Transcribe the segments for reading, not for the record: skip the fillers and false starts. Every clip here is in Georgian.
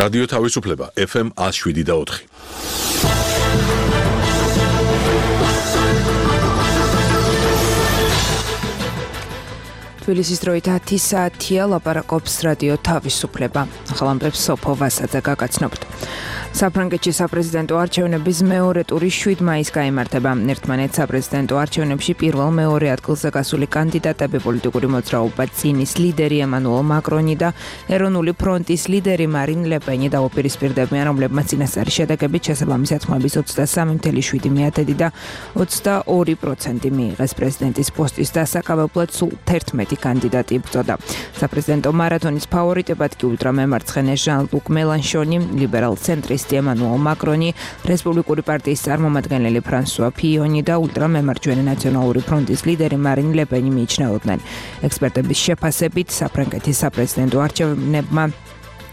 რადიო თავისუფლება FM 107.4. თბილისის დროით 10 საათია ლაპარაკობს რადიო თავისუფლება. ახალამბებს სოფო ვასაძე გაგაცნობთ. საფრანგეთში საპრეზიდენტო არჩევნების მეორე ტური 7 მაისს გაიმართება. ერთმანეთს საპრეზიდენტო არჩევნებში პირველ-მეორე ადგილზე გასული კანდიდატები პოლიტიკური მოძრაობა წინის ლიდერი ემანუელ მაკრონი და ეროვნული ფრონტის ლიდერი მარინ ლე პენი დაუპირისპირდებიან, რომლებმაც წინასწარი შედეგებით შესაბამისად ხმების 23.7% და 22% მიიღეს პრეზიდენტის პოსტის დასაკავებლად სულ 11 კანდიდატი იბრძოდა. საპრეზიდენტო მარათონის ფავორიტებად კი ულტრამემარცხენე ჟან-ლუკ მელანშონი, ლიბერალ-ცენტრისტი ემანუელ მაკრონი, რესპუბლიკური პარტიის წარმომადგენელი ფრანსუა ფიონი და ულტრამემარჯვენე ნაციონალური ფრონტის ლიდერი მარინ ლე პენი მიიჩნეოდნენ. ექსპერტების შეფასებით, საფრანგეთის საპრეზიდენტო არჩევნებმა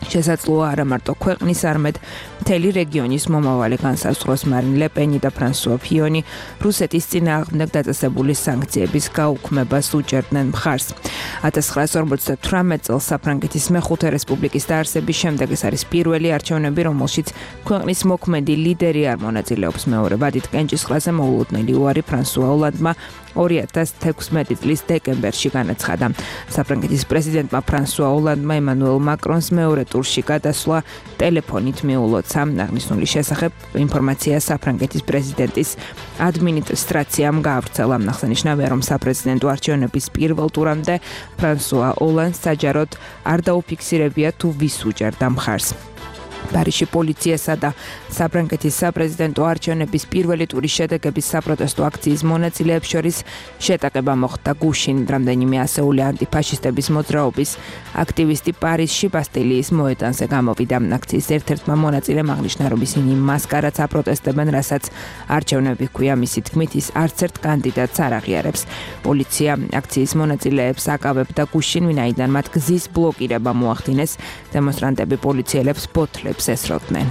შესაძლოა არა მარტო ქვეყნის, არამედ მთელი რეგიონის მომავალი განსაზღვროს. მარინ ლე პენი და ფრანსუა ფიონი რუსეთის წინააღმდეგ დაწესებული სანქციების გაუქმებას უჭერდნენ მხარს. 1958 წელს საფრანგეთის მეხუთე რესპუბლიკის დაარსების შემდეგ ეს არის პირველი არჩევნები, რომელშიც ქვეყნის მოქმედი ლიდერი არ მონაწილეობს. მეორე ვადით კენჭისყრაზე მოულოდნელი უარი ფრანსუა ოლანდმა 2016 წლის დეკემბერში განაცხადა. საფრანგეთის პრეზიდენტმა ფრანსუა ოლანდმა ემანუელ მაკრონს მეორე ტურში გადასვლა ტელეფონით მიულოცა. აღნიშნული შესახებ ინფორმაცია საფრანგეთის პრეზიდენტის ადმინისტრაციამ გაავრცელა. აღსანიშნავია, რომ საპრეზიდენტო არჩევნების პირველ ტურამდე ფრანსუა ოლანდს საჯაროდ არ დაუფიქსირებია თუ ვის უჭერდა მხარს. პარიზში პოლიციასა და საფრანგეთის საპრეზიდენტო არჩევნების პირველი ტურის შედეგების საპროტესტო აქციის მონაწილეებს შორის შეტაკება მოხდა გუშინ. რამდენიმე ასეული ანტიფაშისტების მოძრაობის აქტივისტი პარიზში ბასტილიის მოედანზე გამოვიდა. აქციის ერთ-ერთმა მონაწილემ აღნიშნა, რომ ისინი მასკარადს აპროტესტებენ, რასაც არჩევნები ჰქვია. მისი თქმით, ის არც ერთ კანდიდატს არ აღიარებს. პოლიცია აქციის მონაწილეებს აკავებდა გუშინ, ვინაიდან მათ გზის ბლოკირება მოახდინეს. დემონსტრანტები პოლიციელებს ბოთლებს ესროდნენ.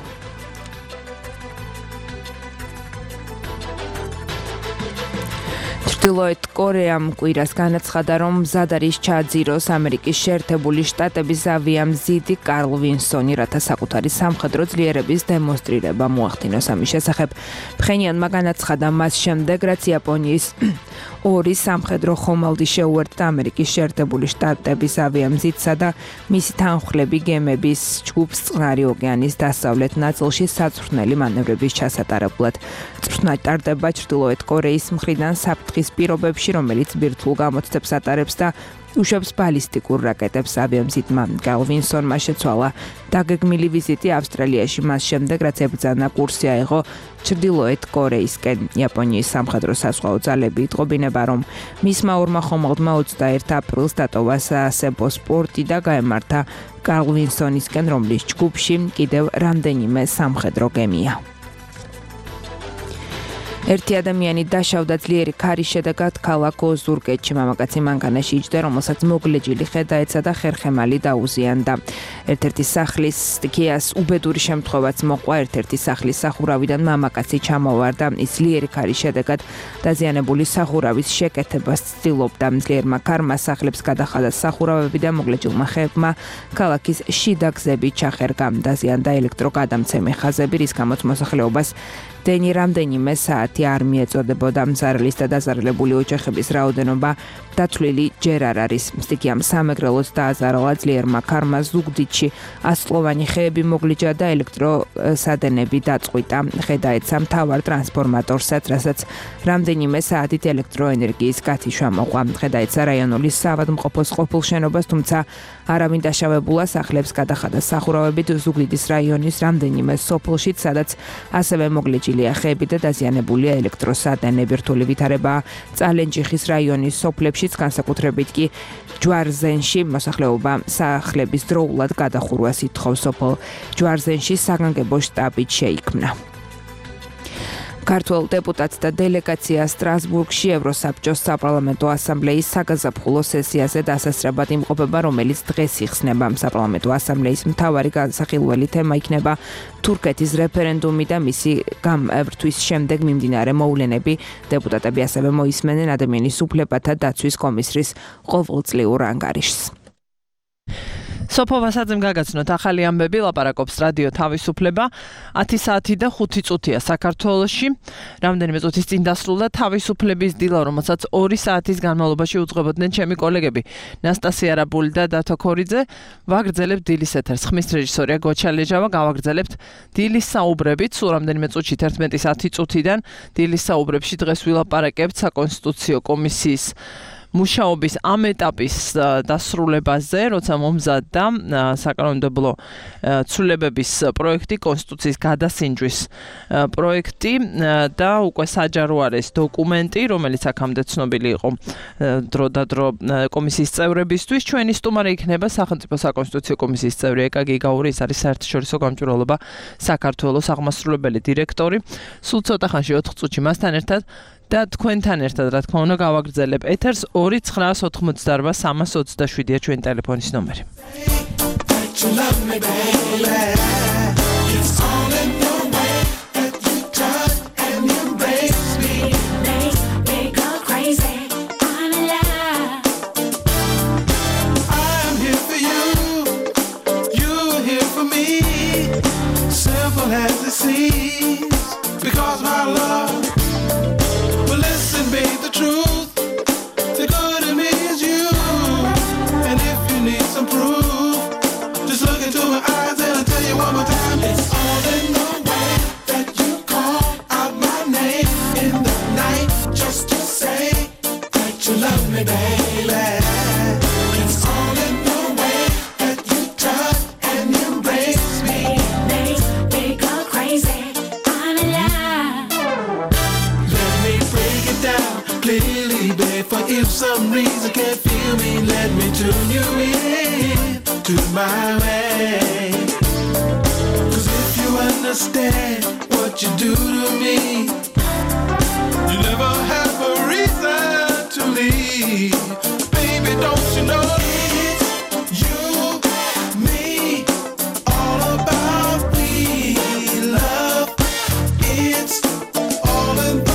ჩრდილოეთ კორეამ კვირას განაცხადა, რომ მზად არის ჩააძიროს ამერიკის შეერთებული შტატების ავიამზიდი კარლ ვინსონი, რათა საკუთარი სამხედრო ძლიერების დემონსტრირება მოახდინოს. ამის შესახებ ფხენიანმა განაცხადა მას შემდეგ, რაც იაპონიის ორი სამხედრო ხომალდი შეუერთდა ამერიკის შეერთებული შტატების ავიამზიდსა და მისი თანმხლები გემების ჯგუფს წყნარი ოკეანის დასავლეთ ნაწილში საწვრთნელი მანევრების ჩასატარებლად. წვრთნა ტარდება ჩრდილოეთ კორეის მხრიდან საფრთხის პირობებში, რომელიც ბირთვულ გამოცდებს ატარებს და უშვებს ბალისტიკურ რაკეტებს. ავიამზიდმა კარლ ვინსონმა შეცვალა დაგეგმილი ვიზიტი ავსტრალიაში, მას შემდეგ, რაც ებრძანა კურსი აიღო ჩრდილოეთ კორეისკენ. იაპონიის სამხედრო საზღვაო ძალები იტყობინება, რომ მისმა ორმა ხომალდმა 21 აპრილს დატოვა საასებო სპორტი და გაემართა კარლ ვინსონისკენ, რომლის ჯგუფში კიდევ რამდენიმე სამხედრო გემია. ერთი ადამიანი დასავდა ძლიერი ქარის შედეგად ქალაქ ოზურგეთში. მამაკაცი მანქანაში იჯდა, რომელსაც მოგლეჯილი ხედაეცა და ხერხემალი დაუზიანდა. ერთ-ერთი სახლის სტიქიას უბედური შემთხვევაც მოყვა. ერთ-ერთი სახლის სახურავიდან მამაკაცი ჩამოვარდა. ის ძლიერი ქარის შედეგად დაზიანებული სახურავის შეკეთებას ცდილობდა. ძლიერმა ქარმა სახლებს გადახადა სახურავები და მოგლეჯილმა ხეებმა ქალაქის შიდა გზები ჩახერგა. დაზიანდა ელექტროგადამცემი ხაზები, რის გამოც მოსახლეობას დენი რამდენიმე საათი არ მიეწოდებოდა. მზარლის და დაზარალებული ოჯახების რაოდენობა დათვლილი ჯერ არ არის. სტიქიამ სამეგრელოც დააზარალა. ძლიერმა ქარმა ზუგდიდში 100-წლოვანი ხეები მოგლიჯა და ელექტროსადენები დაწყვიტა. ხედაეცა მთავარ ტრანსფორმატორსაც, რასაც რამდენიმე საათით ელექტროენერგიის გათიშვა მოყვა. ხედაეცა რაიონული საავადმყოფოს ყოფილ შენობას, თუმცა არავინ დაშავებულა. სახლებს გადახადა სახურავებით ზუგდიდის რაიონის რამდენიმე სოფელშიც, სადაც ასევე მოგლეჯილია ხეები და დაზიანებულია ელექტროსადენები. რთული ვითარებაა წალენჯიხის რაიონის სოფლებშიც, განსაკუთრებით კი ჯვარზენში. მოსახლეობა სახლების დროულად გადახურვას ითხოვს. სოფელ ჯვარზენში საგანგებო შტაბით შეიქმნა. ქართველ დეპუტატს და დელეგაციას სტრასბურგში ევროსაბჭოს საპარლამენტო ასამბლეის საგაზაფხულო სესიაზე დასასწრებად იმყოფება, რომელიც დღეს იხსნება. საპარლამენტო ასამბლეის მთავარი განსახილველი თემა იქნება თურქეთის რეფერენდუმი და მისი გამართვის შემდეგ მიმდინარე მოვლენები. დეპუტატები ასევე მოისმენენ ადამიანის უფლებათა დაცვის კომისრის ყოველწლიურ ანგარიშს. სოფო ვასაძემ გაგაცნოთ ახალი ამბები, ლაპარაკობს რადიო თავისუფლება. 10 საათი და 5 წუთია საქართველოში. რამდენიმე წუთის წინ დასრულდა თავისუფლების დილა, რომელსაც 2 საათის განმავლობაში უძღვებოდნენ ჩემი კოლეგები ნასტასია რაბული და დათო ქორიძე. ვაგრძელებთ დილის ეთერს. ხმის რეჟისორია გოჩა ლეჟავა. გავაგრძელებთ დილის საუბრებით. სულ რამდენიმე წუთში 11-ის 10 წუთიდან დილის საუბრებში დღეს ვილაპარაკებთ საკონსტიტუციო კომისიის მუშაობის ამ ეტაპის დასრულებაზე, როცა მომზადდა საკანონმდებლო ცვლილებების პროექტი, კონსტიტუციის გადასინჯვის პროექტი და უკვე საჯარო არის დოკუმენტი, რომელიც აქამდე ცნობილი იყო დროდადრო კომისიის წევრებისთვის. ჩვენი სტუმარი იქნება სახელმწიფო საკონსტიტუციო კომისიის წევრი ეკა გიგაური, ის არის საერთაშორისო გამჭვირვალობა საქართველოს აღმასრულებელი დირექტორი. სულ ცოტა ხანში 4 წუთში მასთან ერთად და თქვენთან ერთად რა თქმა უნდა გავაგრძელებ ეთერს 2988327-ია ჩვენი ტელეფონის ნომერი. Because my love will listen, be the truth. The good in me is you. And if you need some proof, just look into my eyes and I'll tell you one more time. It's all in the way that you call out my name in the night, just to say that you love me, baby. It's all in the way that you touch and embrace me. Makes me go crazy. Clearly, babe, for if some reason can't feel me, let me tune you in to my way. Cause if you understand what you do to me, you never have a reason to leave. Baby, don't you know it's you, me, all about we love. It's all in the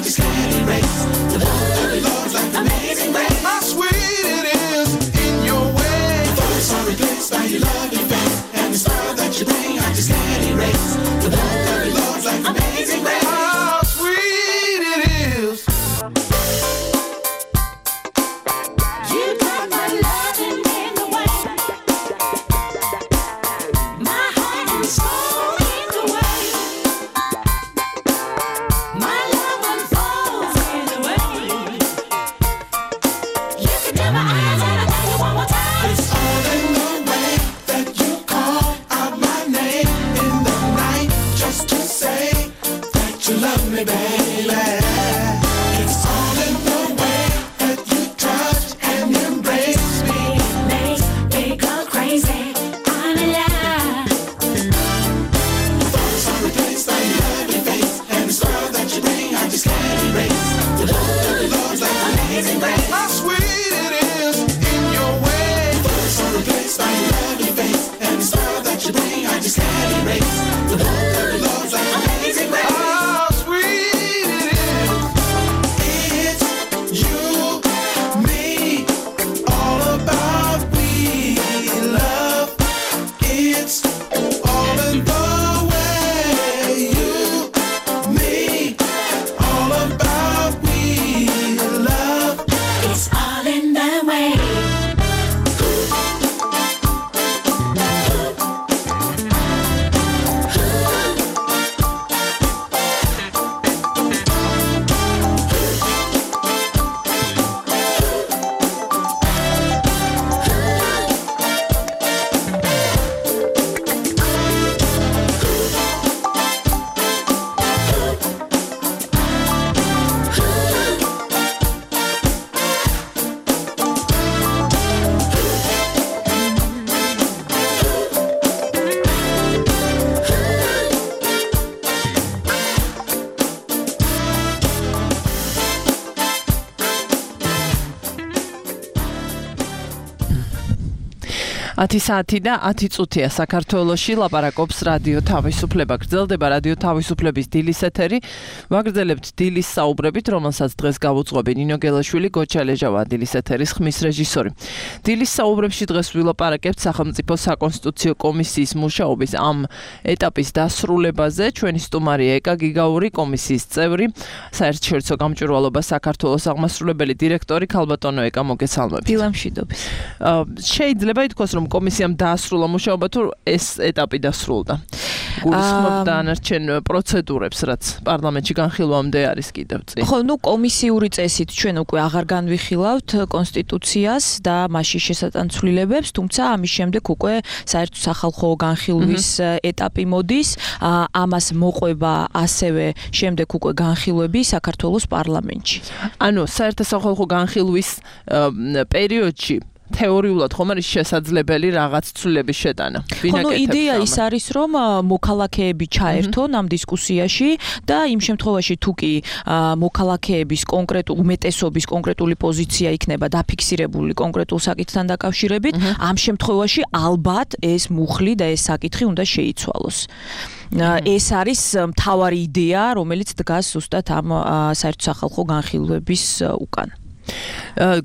Just 10 საათი და 10 წუთია საქართველოში ლაპარაკობს რადიო თავისუფლება. გრძელდება რადიო თავისუფლების დილის ეთერი. ვაგრძელებთ დილის საუბრებით, რომელსაც დღეს გავუძღვები ნინო გელაშვილი, გოჩა ლეჟავა დილის ეთერის ხმის რეჟისორი. დილის საუბრებში დღეს ვილაპარაკებთ სახელმწიფო საკონსტიტუციო კომისიის მუშაობის ამ ეტაპის დასრულებაზე. ჩვენი სტუმარია ეკა გიგაური, კომისიის წევრი, საერთაშორისო გამჭვირვალობა საქართველოს აღმასრულებელი დირექტორი ქალბატონო ეკა, მოგესალმებით. დილამშვიდობის. შეიძლება ითქვას, რომ კომისიამ დაასრულა მუშაობა, თუ ეს ეტაპი დასრულდა. გულისხმობ დანარჩენ პროცედურებს, რაც პარლამენტში განხილვამდე არის კიდევ წინ. ხო, კომისიური წესით ჩვენ უკვე აღარ განვიხილავთ კონსტიტუციას და მასში შესატანცვლილებებს, თუმცა ამის შემდეგ უკვე საერთო სახალხო განხილვის ეტაპი მოდის, ამას მოყვება ასევე შემდეგ უკვე განხილვები საქართველოს პარლამენტში. ანუ საერთო სახალხო განხილვის პერიოდში თეორიულად ხომ არის შესაძლებელი რაღაც ცვლილების შეტანა. ხო, იდეა ის არის, რომ მოქალაქეები ჩაერთონ ამ დისკუსიაში და იმ შემთხვევაში თუ კი მოქალაქეების უმეტესობის კონკრეტული პოზიცია იქნება დაფიქსირებული კონკრეტულ საკითხთან დაკავშირებით, ამ შემთხვევაში ალბათ ეს მუხლი და ეს საკითხი უნდა შეიცვალოს. ეს არის მთავარი იდეა, რომელიც დგას ზუსტად ამ საერთო სახალხო განხილვების უკან.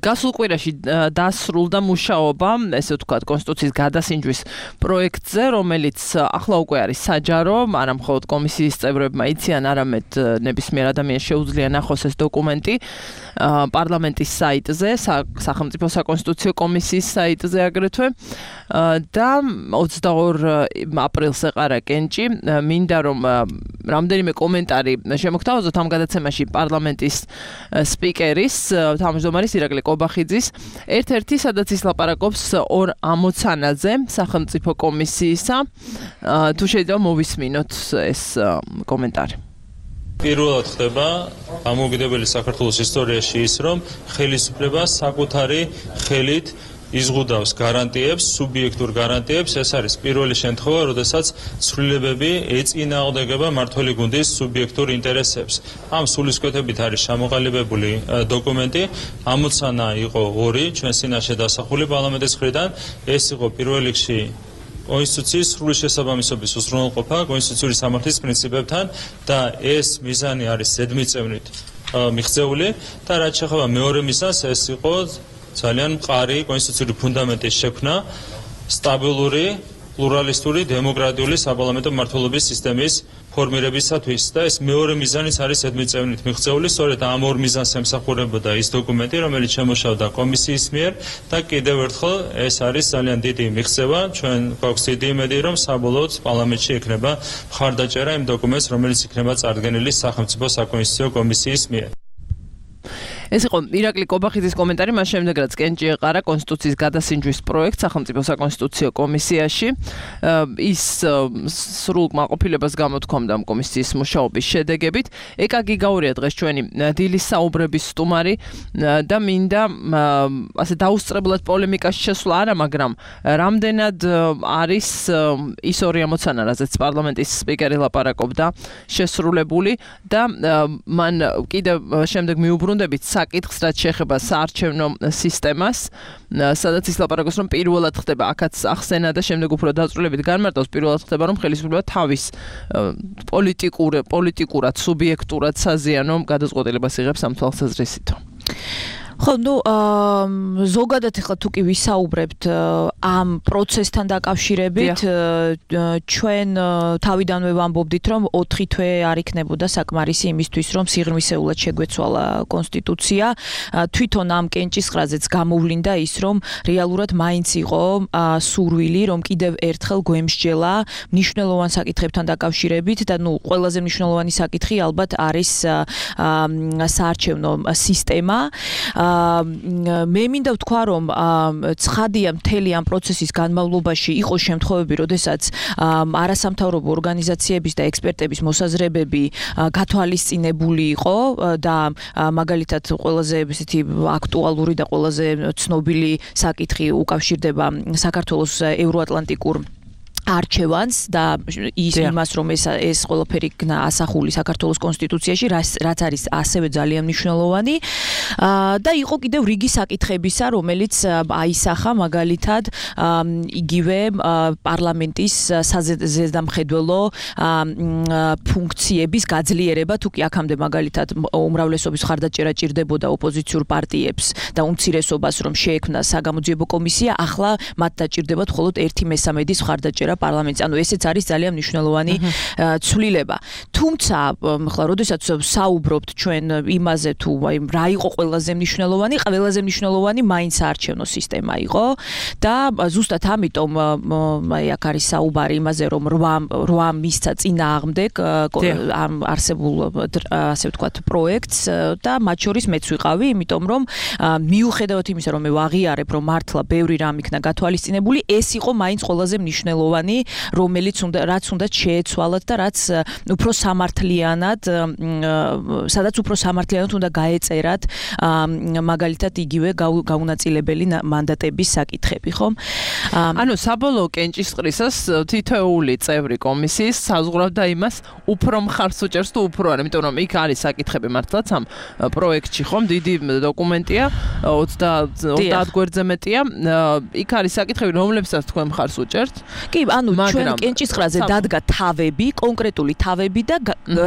გასულ კვირაში დასრულდა მუშაობა, ესე ვთქვათ, კონსტიტუციის გადასინჯვის პროექტზე, რომელიც ახლა უკვე არის საჯარო, არა მხოლოდ კომისიის წევრებმა იციან, არამედ ნებისმიერ ადამიანს შეუძლია ნახოს ეს დოკუმენტი პარლამენტის საიტზე, სახელმწიფო საკონსტიტუციო კომისიის საიტზე აგრეთვე და 22 აპრილს ეყარა კენჭი. მინდა რომ რამდენიმე კომენტარი შემოგთავაზოთ ამ გადაცემაში პარლამენტის სპიკერის თავმჯდომარის ირაკლი კობახიძის, ერთ-ერთი, სადაც ის ლაპარაკობს ორ ამოცანაზე სახელმწიფო კომისიისა. თუ შეიძლება მოვისმინოთ ეს კომენტარი. პირველად ხდება ამოუკიდებელი საქართველოს ისტორიაში ის, რომ ხელისუფლება საკუთარი ხელით იზღუდავს გარანტიებს, სუბიექტურ გარანტიებს. ეს არის პირველი შემთხვევა, როდესაც ცვლილებები ეწინააღმდეგება მმართველი გუნდის სუბიექტურ ინტერესებს. ამ სულისკვეთებით არის ჩამოყალიბებული დოკუმენტი. ამოცანა იყო ორი, ჩვენ წინაშე დასახული პარლამენტის მხრიდან. ეს იყო პირველ რიგში კონსტიტუციის სრული შესაბამისობის უზრუნველყოფა კონსტიტუციური სამართლის პრინციპებთან და ეს მიზანი არის ზედმიწევნით მიღწეული და რაც შეეხება მეორე მიზანს, ეს იყო ძალიან მყარი კონსტიტუციური ფუნდამენტის შექმნა სტაბილური, პლურალისტური, დემოკრატიული საპარლამენტო მმართველობის სისტემის ფორმირებისათვის და ეს მეორე მიზანიც არის ზედმიწევნით მიღწეული. სწორედ ამ ორ მიზანს ემსახურებოდა ის დოკუმენტი, რომელიც შემუშავდა კომისიის მიერ და კიდევ ერთხელ ეს არის ძალიან დიდი მიღწევა. ჩვენ გვაქვს დიდი იმედი, რომ საბოლოოდ პარლამენტში ექნება მხარდაჭერა იმ დოკუმენტს, რომელიც იქნება წარდგენილი სახელმწიფო საკონსტიტუციო კომისიის მიერ. ეს იყო ირაკლი კობახიძის კომენტარი, მას შემდეგ რაც კენჭი ეყარა კონსტიტუციის გადასინჯვის პროექტს სახელმწიფო საკონსტიტუციო კომისიაში. ის სრულ კმაყოფილებას გამოთქვამდა ამ კომისიის მუშაობის შედეგებით. ეკა გიგაურია დღეს ჩვენი დილის საუბრების სტუმარი და მინდა ასე დაუსწრებლად პოლემიკაში შესვლა არა, მაგრამ რამდენად არის ის ორი ამოცანა, რაზეც პარლამენტის სპიკერი ლაპარაკობდა, შესრულებული და მან კიდევ შემდეგ მიუბრუნდებით საკითხს, რაც შეეხება საარჩევნო სისტემას, სადაც ის ლაპარაკობს, რომ პირველად ხდება, აქაც ახსენა და შემდეგ უფრო დაწვრილებით განმარტავს, პირველად ხდება, რომ ხელისუფლება თავის პოლიტიკურად, სუბიექტურად საზიანო გადაწყვეტილებას იღებს ამ თვალსაზრისით. ხო, ზოგადად ახლა თუ კი ვისაუბრებთ ამ პროცესთან დაკავშირებით, ჩვენ თავიდანვე ვამბობდით, რომ 4 თვე არ იქნებოდა საკმარისი იმისთვის, რომ სიღრმისეულად შეგვეცვალა კონსტიტუცია. თვითონ ამ კენჭისყრაზეც გამოვლინდა ის, რომ რეალურად მაინც იყო სურვილი, რომ კიდევ ერთხელ გვემსჯელა მნიშვნელოვან საკითხებთან დაკავშირებით და ყველაზე მნიშვნელოვანი საკითხი ალბათ არის საარჩევნო სისტემა. მე მინდა ვთქვა, რომ ცხადია მთელი ამ პროცესის განმავლობაში იყო შემთხვევები, როდესაც არასამთავრობო ორგანიზაციების და ექსპერტების მოსაზრებები გათვალისწინებული იყო და მაგალითად ყველაზე ესეთი აქტუალური და ყველაზე ცნობილი საკითხი უკავშირდება საქართველოს ევროატლანტიკურ არჩევანს და ის იმას რომ ეს ყველაფერი ასახული საქართველოს კონსტიტუციაში რაც არის ასევე ძალიან მნიშვნელოვანი და იყო კიდევ რიგი საკითხებისა რომელიც აისახა მაგალითად იგივე პარლამენტის საზედამხედველო ფუნქციების გაძლიერება თუ კი აქამდე მაგალითად უმრავლესობის მხარდაჭერა ჭირდებოდა ოპოზიციურ პარტიებს და უმცირესობას რომ შეექმნა საგამოძიებო კომისია ახლა მათ დაჭირდებათ მხოლოდ 1/3 მხარდაჭერა პარლამენტს. ანუ ესეც არის ძალიან მნიშვნელოვანი ცვლილება. თუმცა, ახლა როდესაც საუბრობთ ჩვენ იმაზე თუ აი რა იყო ყველაზე მნიშვნელოვანი, ყველაზე მნიშვნელოვანი მაინც საარჩევნო სისტემა იყო და ზუსტად ამიტომ აი აქ არის საუბარი იმაზე რომ 8 მისცა წინააღმდეგ ამ არსებულ ასე ვთქვათ პროექტს და მათ შორის მეც ვიყავი, იმიტომ რომ მიუხედავად იმისა რომ მე ვაღიარებ რომ მართლა ბევრი რამ იქნა გათვალისწინებული, ეს იყო მაინც ყველაზე მნიშვნელოვანი რომელიც რაც უნდა შეეცვალათ და რაც უფრო სამართლიანად სადაც უფრო სამართლიანად უნდა გაეწერათ მაგალითად იგივე გაუნაწილებელი მანდატების საკითხები ხომ ანუ საბოლოო კენჭისყრისას თითოეული წევრი კომისიის საზღურავდა იმას უფრო მხარს უჭერს თუ უფრო არა იმიტომ რომ იქ არის საკითხები მართლაც ამ პროექტში ხომ დიდი დოკუმენტია 30 გვერდზე მეტია იქ არის საკითხები რომლებსაც თქვენ მხარს უჭერთ კი ანუ ჩვენ კენჭისყრაზე დადგა თავები, კონკრეტული თავები და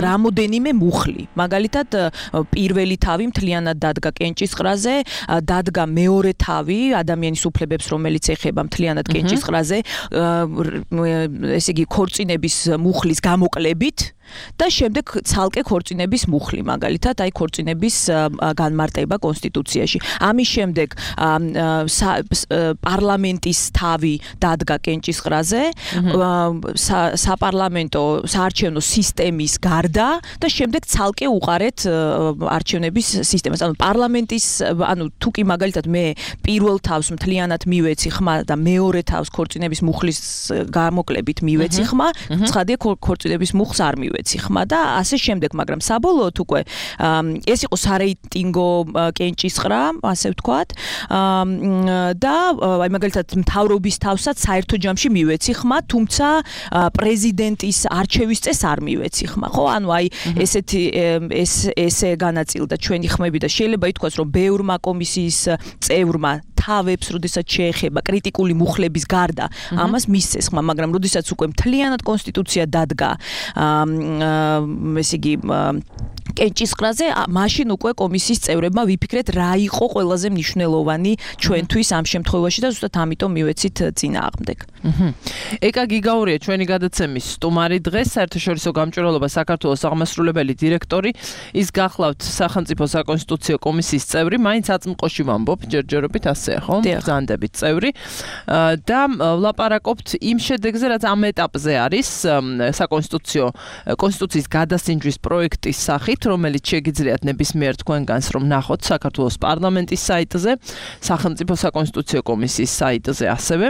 რამოდენიმე მუხლი. მაგალითად, პირველი თავი მთლიანად დადგა კენჭისყრაზე, დადგა მეორე თავი ადამიანის უფლებებს, რომელიც ეხება მთლიანად კენჭისყრაზე, ესე იგი ქორწინების მუხლის გამოკლებით და შემდეგ ცალკე ქორწინების მუხლი, მაგალითად, აი ქორწინების განმარტება კონსტიტუციაში. ამის შემდეგ პარლამენტის თავი დადგა კენჭისყრაზე, საპარლამენტო საარჩევნო სისტემის გარდა და შემდეგ ცალკე უყარეთ არჩევნების სისტემას. ანუ პარლამენტის, ანუ თუ კი მაგალითად მე პირველ თავს მთლიანად მივეცი ხმა და მეორე თავს ქორწინების მუხლის გამოკლებით მივეცი ხმა, ცხადია ქორწინების მუხლს არ მივეცი ხმა და ასე შემდეგ, მაგრამ საბოლოოდ უკვე ეს იყო სარეიტინგო კენჭისყრა, ასე ვთქვათ. და აი მაგალითად მთავრობის თავსაც საერთო ჯამში მივეცი ხმა, თუმცა პრეზიდენტის არჩევის წეს არ მივეცი ხმა, ხო? ანუ აი ესე განაწილდა ჩვენი ხმები და შეიძლება ითქვას, რომ ბევრმა კომისიის წევრმა თავებს, როდესაც შეეხება კრიტიკული მუხლების გარდა, ამას მისცეს ხმა, მაგრამ როდესაც უკვე მთლიანად კონსტიტუცია დადგა, ესე იგი კენჭისყრაზე, მაშინ უკვე კომისიის წევრებმა ვიფიქრეთ, რა იყო ყველაზე მნიშვნელოვანი ჩვენთვის ამ შემთხვევაში და ზუსტად ამიტომ მივეცით წინააღმდეგ. ეკა გიგაურია ჩვენი გადაცემის სტუმარი დღეს საერთაშორისო გამჭვირვალობა საქართველოს აღმასრულებელი დირექტორი ის გახლავთ სახელმწიფო საკონსტიტუციო კომისიის წევრი მაინც აწმყოში ვამბობ ჯერჯერობით ასეა ხო ბრძანდებით წევრი და ვლაპარაკობთ იმ შედეგზე რაც ამ ეტაპზე არის კონსტიტუციის გადასინჯვის პროექტის სახით რომელიც შეგიძლიათ ნებისმიერ თქვენგანს რომ ნახოთ საქართველოს პარლამენტის საიტზე სახელმწიფო საკონსტიტუციო კომისიის საიტზე ასევე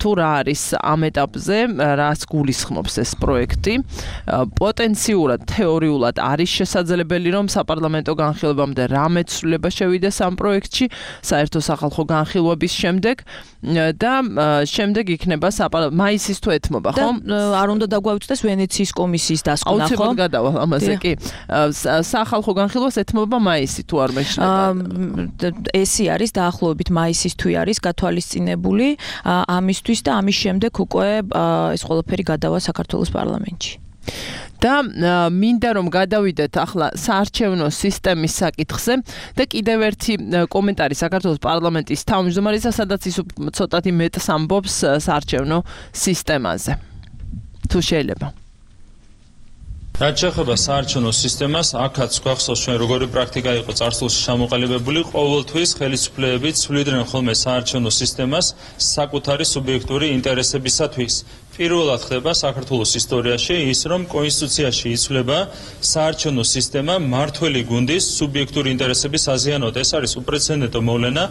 თუ რა არის ამ ეტაპზე რას გულისხმობს ეს პროექტი პოტენციურად თეორიულად არის შესაძლებელი რომ საპარლამენტო განხილვამდე რამე ცვლილება შევიდეს ამ პროექტში საერთო სახალხო განხილვების შემდეგ და შემდეგ იქნება მაისის თუ ეთმობა ხო არ უნდა დაგვაუწყდეს ვენეციის კომისიის დასკვნა ხო აუცილებლად გადავალ ამაზე კი სახალხო განხილვას ეთმობა მაისი თუ არ მეშლება ესი არის დაახლოებით მაისის თვე არის გათვალისწინებული ამისთვის და ამის შემდეგ უკვე ეს ყველაფერი გადავა საქართველოს პარლამენტში და მინდა რომ გადავიდეთ ახლა საარჩევნო სისტემის საკითხზე და კიდევ ერთი კომენტარი საქართველოს პარლამენტის თავმჯდომარისა სადაც ის ცოტათი მეტს ამბობს საარჩევნო სისტემაზე თუ შეიძლება რაც შეეხება საარჩევნო სისტემას, აქაც გვახსოვს ჩვენ როგორი პრაქტიკა იყო წარსულში ჩამოყალიბებული, ყოველთვის ხელისუფლებები ცვლიდნენ ხოლმე საარჩევნო სისტემას საკუთარი სუბიექტური ინტერესებისათვის. პირველად ხდება საქართველოს ისტორიაში ის, რომ კონსტიტუციაში იცვლება საარჩევნო სისტემა მმართველი გუნდის სუბიექტური ინტერესების აზიანოდ. ეს არის უპრეცედენტო მოვლენა,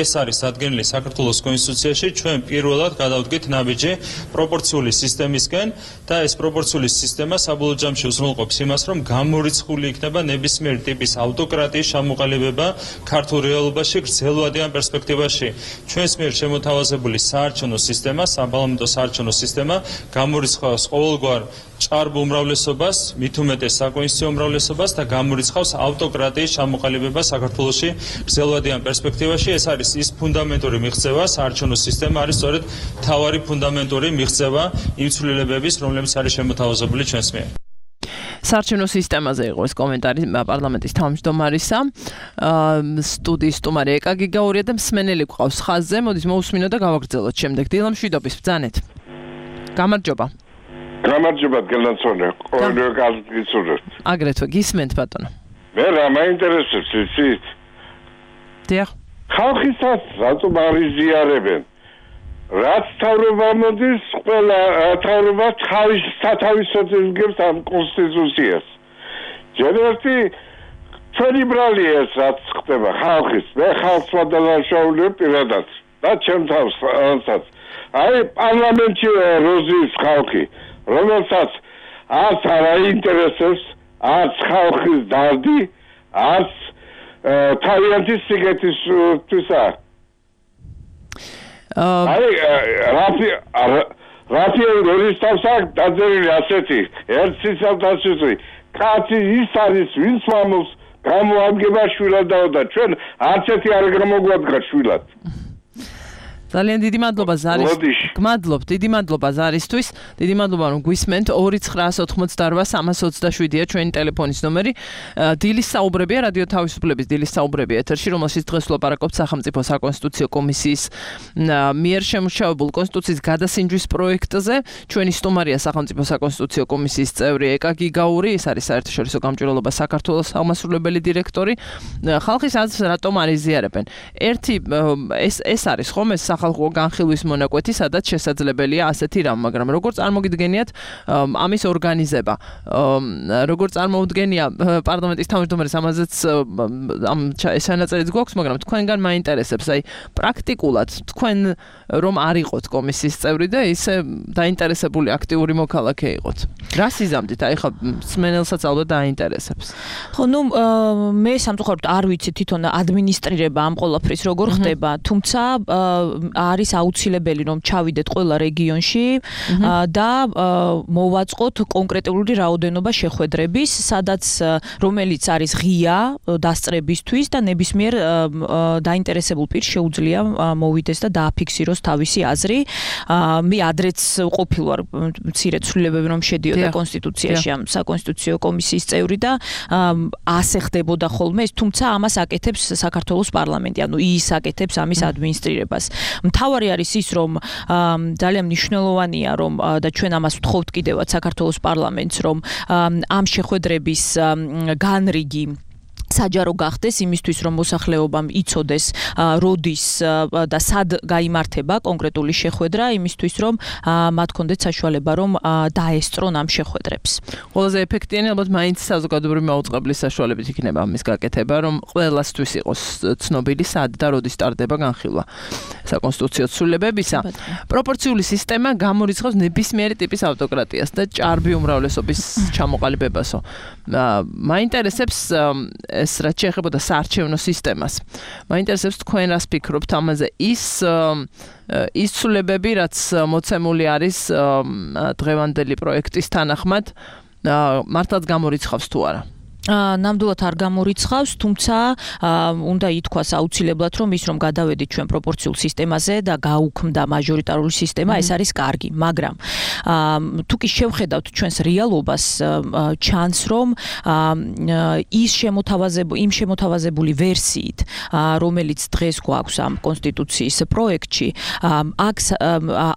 ეს არის ადგენილი საქართველოს კონსტიტუციაში. ჩვენ პირველად გადავდგით ნაბიჯი პროპორციული სისტემისკენ და ეს პროპორციული სისტემა საბოლოო ჯამში უზრუნველყოფს იმას, რომ გამორიცხული იქნება ნებისმიერი ტიპის ავტოკრატიის ჩამოყალიბება ქართულ რეალობაში გრძელვადიან პერსპექტივაში. ჩვენს მიერ შემოთავაზებული საარჩევნო სისტემა, საპარლამენტო საარჩევნო სისტემა სისტემა გამორიცხავს ყოველგვარ ჭარბ უმრავლესობას, მით უმეტეს საკონსტიტუციო უმრავლესობას და გამორიცხავს ავტოკრატიის ჩამოყალიბებას საქართველოში გრძელვადიან პერსპექტივაში. ეს არის ის ფუნდამენტური მიღწევა, საარჩევნო სისტემა არის სწორედ მთავარი ფუნდამენტური მიღწევა იმ ცვლილებების, რომლებიც არის შემოთავაზებული ჩვენს მიერ. საარჩევნო სისტემაზე იყო ეს კომენტარი პარლამენტის თავმჯდომარისა. სტუდიის სტუმარი ეკა გიგაურია და მსმენელი გვყავს ხაზზე. მოდით მოусმინოთ და გავაგრძელოთ შემდეგ. დილა მშვიდობის ბრძანეთ. გამარჯობა. გამარჯობა გელანსონე. ყოველდღე გასწრებით. აგრეთვე გისმენთ ბატონო. მე რა მაინტერესებს იცით? დიახ. ხალხისაც რატომ არიზიარებენ? რაც თავრობა მოდის, ყველა თავრობა თავის სათავისუფლებას გებს ამ კონსტიტუციას. ჯერერთი ჩვენი ბრალია ეს რაც ხდება ხალხის. მე ხალხს ვადალაშაულებ პირადად და ჩემ თავსაც. აი პარლამენტში როზის ხალხი, რომელსაც არც არ აინტერესებს, არც ხალხის დარდი, არც თავიანთი სიგეთისთვისა. რაფიელ როლისტავსა დაძერილი ასეთი ერთის ავტაციური კაცი ის არის ვინც მამულს გამოადგება შვილადაო და ჩვენ არც ერთი არ გამოგვადგა შვილად. ძალიან დიდი მადლობა ზარის. გმადლობ, დიდი მადლობა ზარისთვის. დიდი მადლობა რომ გვისმენთ. 2988327-ია ჩვენი ტელეფონის ნომერი. დილის საუბრებია რადიო თავისუფლების დილის საუბრები ეთერში, რომელშიც დღეს ვლაპარაკობთ სახელმწიფო საკონსტიტუციო კომისიის მიერ შემუშავებულ კონსტიტუციის გადასინჯვის პროექტზე. ჩვენი სტუმარია სახელმწიფო საკონსტიტუციო კომისიის წევრი ეკა გიგაური, ეს არის საერთაშორისო გამჭვირვალობა საქართველოს აღმასრულებელი დირექტორი. ხალხის აზრს რატომ არ იზიარებენ? ერთი ეს არის ხომ ეს სახალხო განხილვის მონაკვეთი, სადაც შესაძლებელია ასეთი რამ, მაგრამ როგორ წარმოგიდგენიათ ამის ორგანიზება? როგორ წარმოუდგენია პარლამენტის თავმჯდომარის ამაზეც ამ ჩანაწერიც გვაქვს, მაგრამ თქვენგან მაინტერესებს, აი პრაქტიკულად თქვენ რომ არ იყოთ კომისიის წევრი და ისე დაინტერესებული აქტიური მოქალაქე იყოთ. რა სიზამთით? აი ხა მსმენელსაც ალბათ დაინტერესებს. ხო, ნუ მე სამწუხაროდ არ ვიცი თვითონ ადმინისტრირება ამ ყველაფრის როგორ ხდება, თუმცა არის აუცილებელი რომ ჩავიდეთ ყველა რეგიონში და მოვაწყოთ კონკრეტული რაოდენობა შეხვედრების, სადაც რომელიც არის ღია დასწრებისთვის და ნებისმიერ დაინტერესებულ პირს შეუძლია მოვიდეს და დააფიქსიროს თავისი აზრი. მე ადრეც ყოფილვარ მცირე ცვლილებები რომ შედიოდა კონსტიტუციაში ამ საკონსტიტუციო კომისიის წევრი და ასე ხდებოდა ხოლმე ეს, თუმცა ამას აკეთებს საქართველოს პარლამენტი, ანუ ის აკეთებს ამის ადმინისტრირებას. მთავარი არის ის, რომ ძალიან მნიშვნელოვანია, რომ და ჩვენ ამას ვთხოვთ კიდევაც საქართველოს პარლამენტს, რომ ამ შეხვედრების განრიგი საჯარო გახდეს იმისთვის, რომ მოსახლეობამ იცოდეს როდის და სად გაიმართება კონკრეტული შეხვედრა, იმისთვის, რომ მათ კონდეთ საშუალება, რომ დაესწრონ ამ შეხვედრებს. ყველაზე ეფექტიანი ალბათ მაინც საზოგადოებრივი მაუწყებლის საშუალებით იქნება ამის გაკეთება, რომ ყველასთვის იყოს ცნობილი სად და როდის ტარდება განხილვა საკონსტიტუციო ცვლილებებისა. პროპორციული სისტემა გამორიცხავს ნებისმიერი ტიპის ავტოკრატიას და ჭარბი უმრავლესობის ჩამოყალიბებასო. მაინტერესებს ეს რაც შეეხებოდა საარჩევნო სისტემას. მაინტერესებს თქვენ რას ფიქრობთ ამაზე? ის ცვლილებები, რაც მოცემული არის დღევანდელი პროექტის თანახმად, მართლაც გამორიცხავს თუ არა? ნამდვილად არ გამორიცხავს, თუმცა უნდა ითქვას აუცილებლად, რომ ის რომ გადავედით ჩვენ პროპორციულ სისტემაზე და გაუქმდა მაჟორიტარული სისტემა, ეს არის კარგი, მაგრამ თუ კი შევხედავთ ჩვენს რეალობას, ჩანს რომ იმ შემოთავაზებული ვერსიით, რომელიც დღეს გვაქვს ამ კონსტიტუციის პროექტში, აქ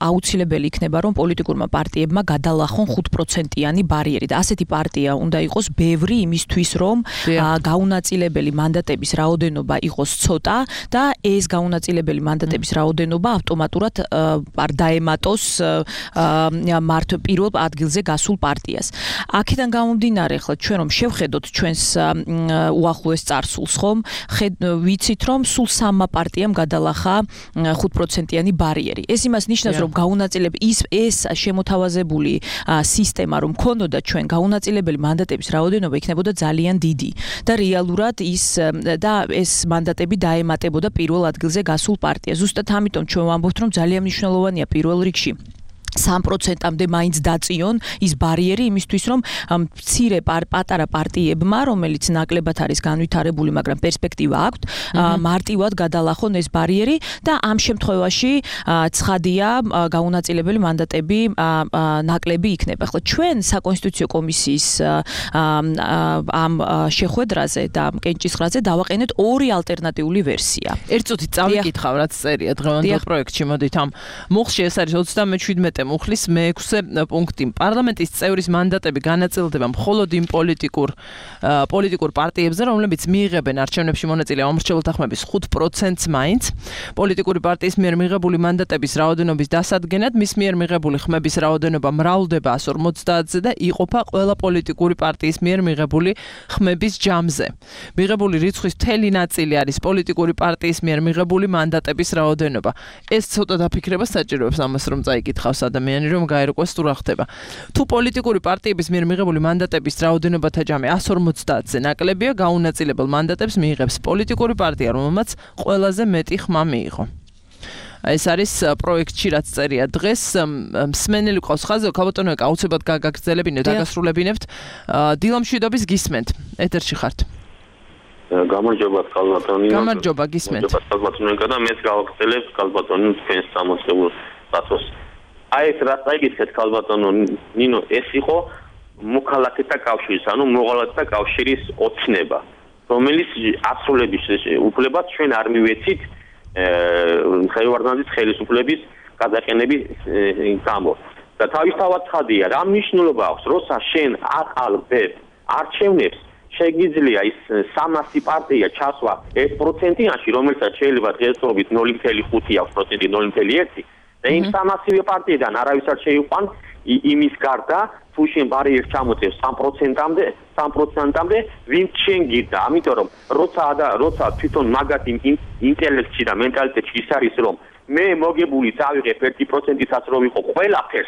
აუცილებელი იქნება, რომ პოლიტიკურმა პარტიებმა გადალახონ 5%-იანი ბარიერი და ასეთი პარტია უნდა იყოს ბევრი იმისთვის, რომ გაუნაწილებელი მანდატების რაოდენობა იყოს ცოტა და ეს გაუნაწილებელი მანდატების რაოდენობა ავტომატურად არ დაემატოს მართ პირველ ადგილზე გასულ პარტიას. აქედან გამომდინარე, ახლა ჩვენ რომ შევხედოთ ჩვენს უახლოეს წარსულს, ხომ, ვიცით რომ სულ 3 პარტიამ გადალახა 5%-იანი ბარიერი. ეს იმას ნიშნავს, რომ გაუნაწილებელი ეს შემოთავაზებული სისტემა რომ ქონოდა ჩვენ გაუნაწილებელი მანდატების რაოდენობა იქნებოდა ძალიან დიდი და რეალურად ეს მანდატები დაემატებოდა პირველ ადგილზე გასულ პარტიას. ზუსტად ამიტომ ჩვენ ვამბობთ, რომ ძალიან მნიშვნელოვანია პირველ რიგში 3%-ამდე მაინც დაწიონ ის ბარიერი იმისთვის რომ მცირე პატარა პარტიებმა რომელიც ნაკლებად არის განვითარებული მაგრამ პერსპექტივა აქვთ მარტივად გადალახონ ეს ბარიერი და ამ შემთხვევაში ცხადია გაუნაწილებელი მანდატები ნაკლები იქნება. ხო ჩვენ საკონსტიტუციო კომისიის ამ შეხვედრაზე და კენჭისყრაზე დავაყენეთ ორი ალტერნატიული ვერსია. ერთ წუთით წავიკითხავ რაც წერია დღევანდელ პროექტში მოდით ამ მუხლში ეს არის 37 მუხლის მე-6 პუნქტი. პარლამენტის წევრის მანდატები განაწილდება მხოლოდ იმ პოლიტიკურ პარტიებზე, რომლებიც მიიღებენ არჩევნებში მონაწილე ამორჩეულთა ხმების 5%-ს მაინც. პოლიტიკური პარტიის მიერ მიღებული მანდატების რაოდენობის დასადგენად მის მიერ მიღებული ხმების რაოდენობა მრავლდება 150-ზე და იყოფა ყველა პოლიტიკური პარტიის მიერ მიღებული ხმების ჯამზე. მიღებული რიცხვის მთელი ნაწილი არის პოლიტიკური პარტიის მიერ მიღებული მანდატების რაოდენობა. ეს ცოტა დაფიქრება საჭიროებს ამას რომ წაიკითხავს ადამიანი რომ გაერკვეს თუ რა ხდება. თუ პოლიტიკური პარტიების მიერ მიღებული მანდატების რაოდენობათა ჯამი 150-ზე ნაკლებია, გაუნაწილებელ მანდატებს მიიღებს პოლიტიკური პარტია, რომელმაც ყველაზე მეტი ხმა მიიღო. ეს არის პროექტში რაც წერია დღეს მსმენელი ყავს ხაზზე ქალბატონო აუცილებლად გაგაგრძელებინეთ დაგასრულებინებთ დილამშვიდობის გისმენთ ეთერში ხართ გამარჯობა ქალბატონო გამარჯობა გისმენთ ქალბატონო და მეც გავაგრძელებ ქალბატონო თქვენს სამოცებულ დაწოს აი ეს რაც აიგეთ ქალბატონო ნინო ეს იყო მოქალაქეთა კავშირის ანუ მოღალატეთა კავშირის ოცნება რომელიც ასრულების უფლებას ჩვენ არ მივეცით ხელვარდნაძის ხელისუფლების გადაყენების გამო და თავისთავად ცხადია რა მნიშვნელობა აქვს როცა შენ აყალბებ არჩევნებს შეგიძლია ის 300 პარტია ჩასვა 1%-იანში რომელსაც შეიძლება დღესდღეობით 0.5 აქვს პროცენტი 0.1 და იმ 300 პარტიიდან არავის არ შეიყვან იმის გარდა თუ შენ ბარიერს ჩამოწევ 3%-ამდე ვინც შენ გიდა ამიტომ რომ როცა თვითონ მაგათ ინტელექტში და მენტალიტეტში ის არის რომ მე მოგებული წავიღებ 1%-იცაც რომ ვიყო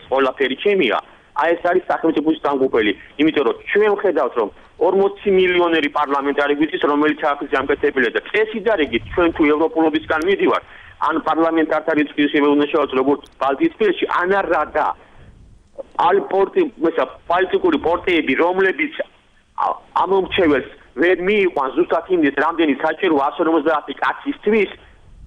ყველაფერი ჩემია აი ეს არის სახელმწიფოს დამგუპელი იმიტომ რომ ჩვენ ვხედავთ რომ 40 მილიონერი პარლამენტარი გვიწის რომელიც აქ ჯამკეთებელია და წესი და რიგი ჩვენ თუ ევროპულობისგან მიდივართ ან პარლამენტართა რიცხვის შეგვეუბნა როგორც ბალტიისპირეთში ან არადა პოლიტიკური პარტიები რომლებიც ამომრჩეველს ვერ მიიყვანს ზუსტად იმის რამდენი საჭირო 150 კაცისთვის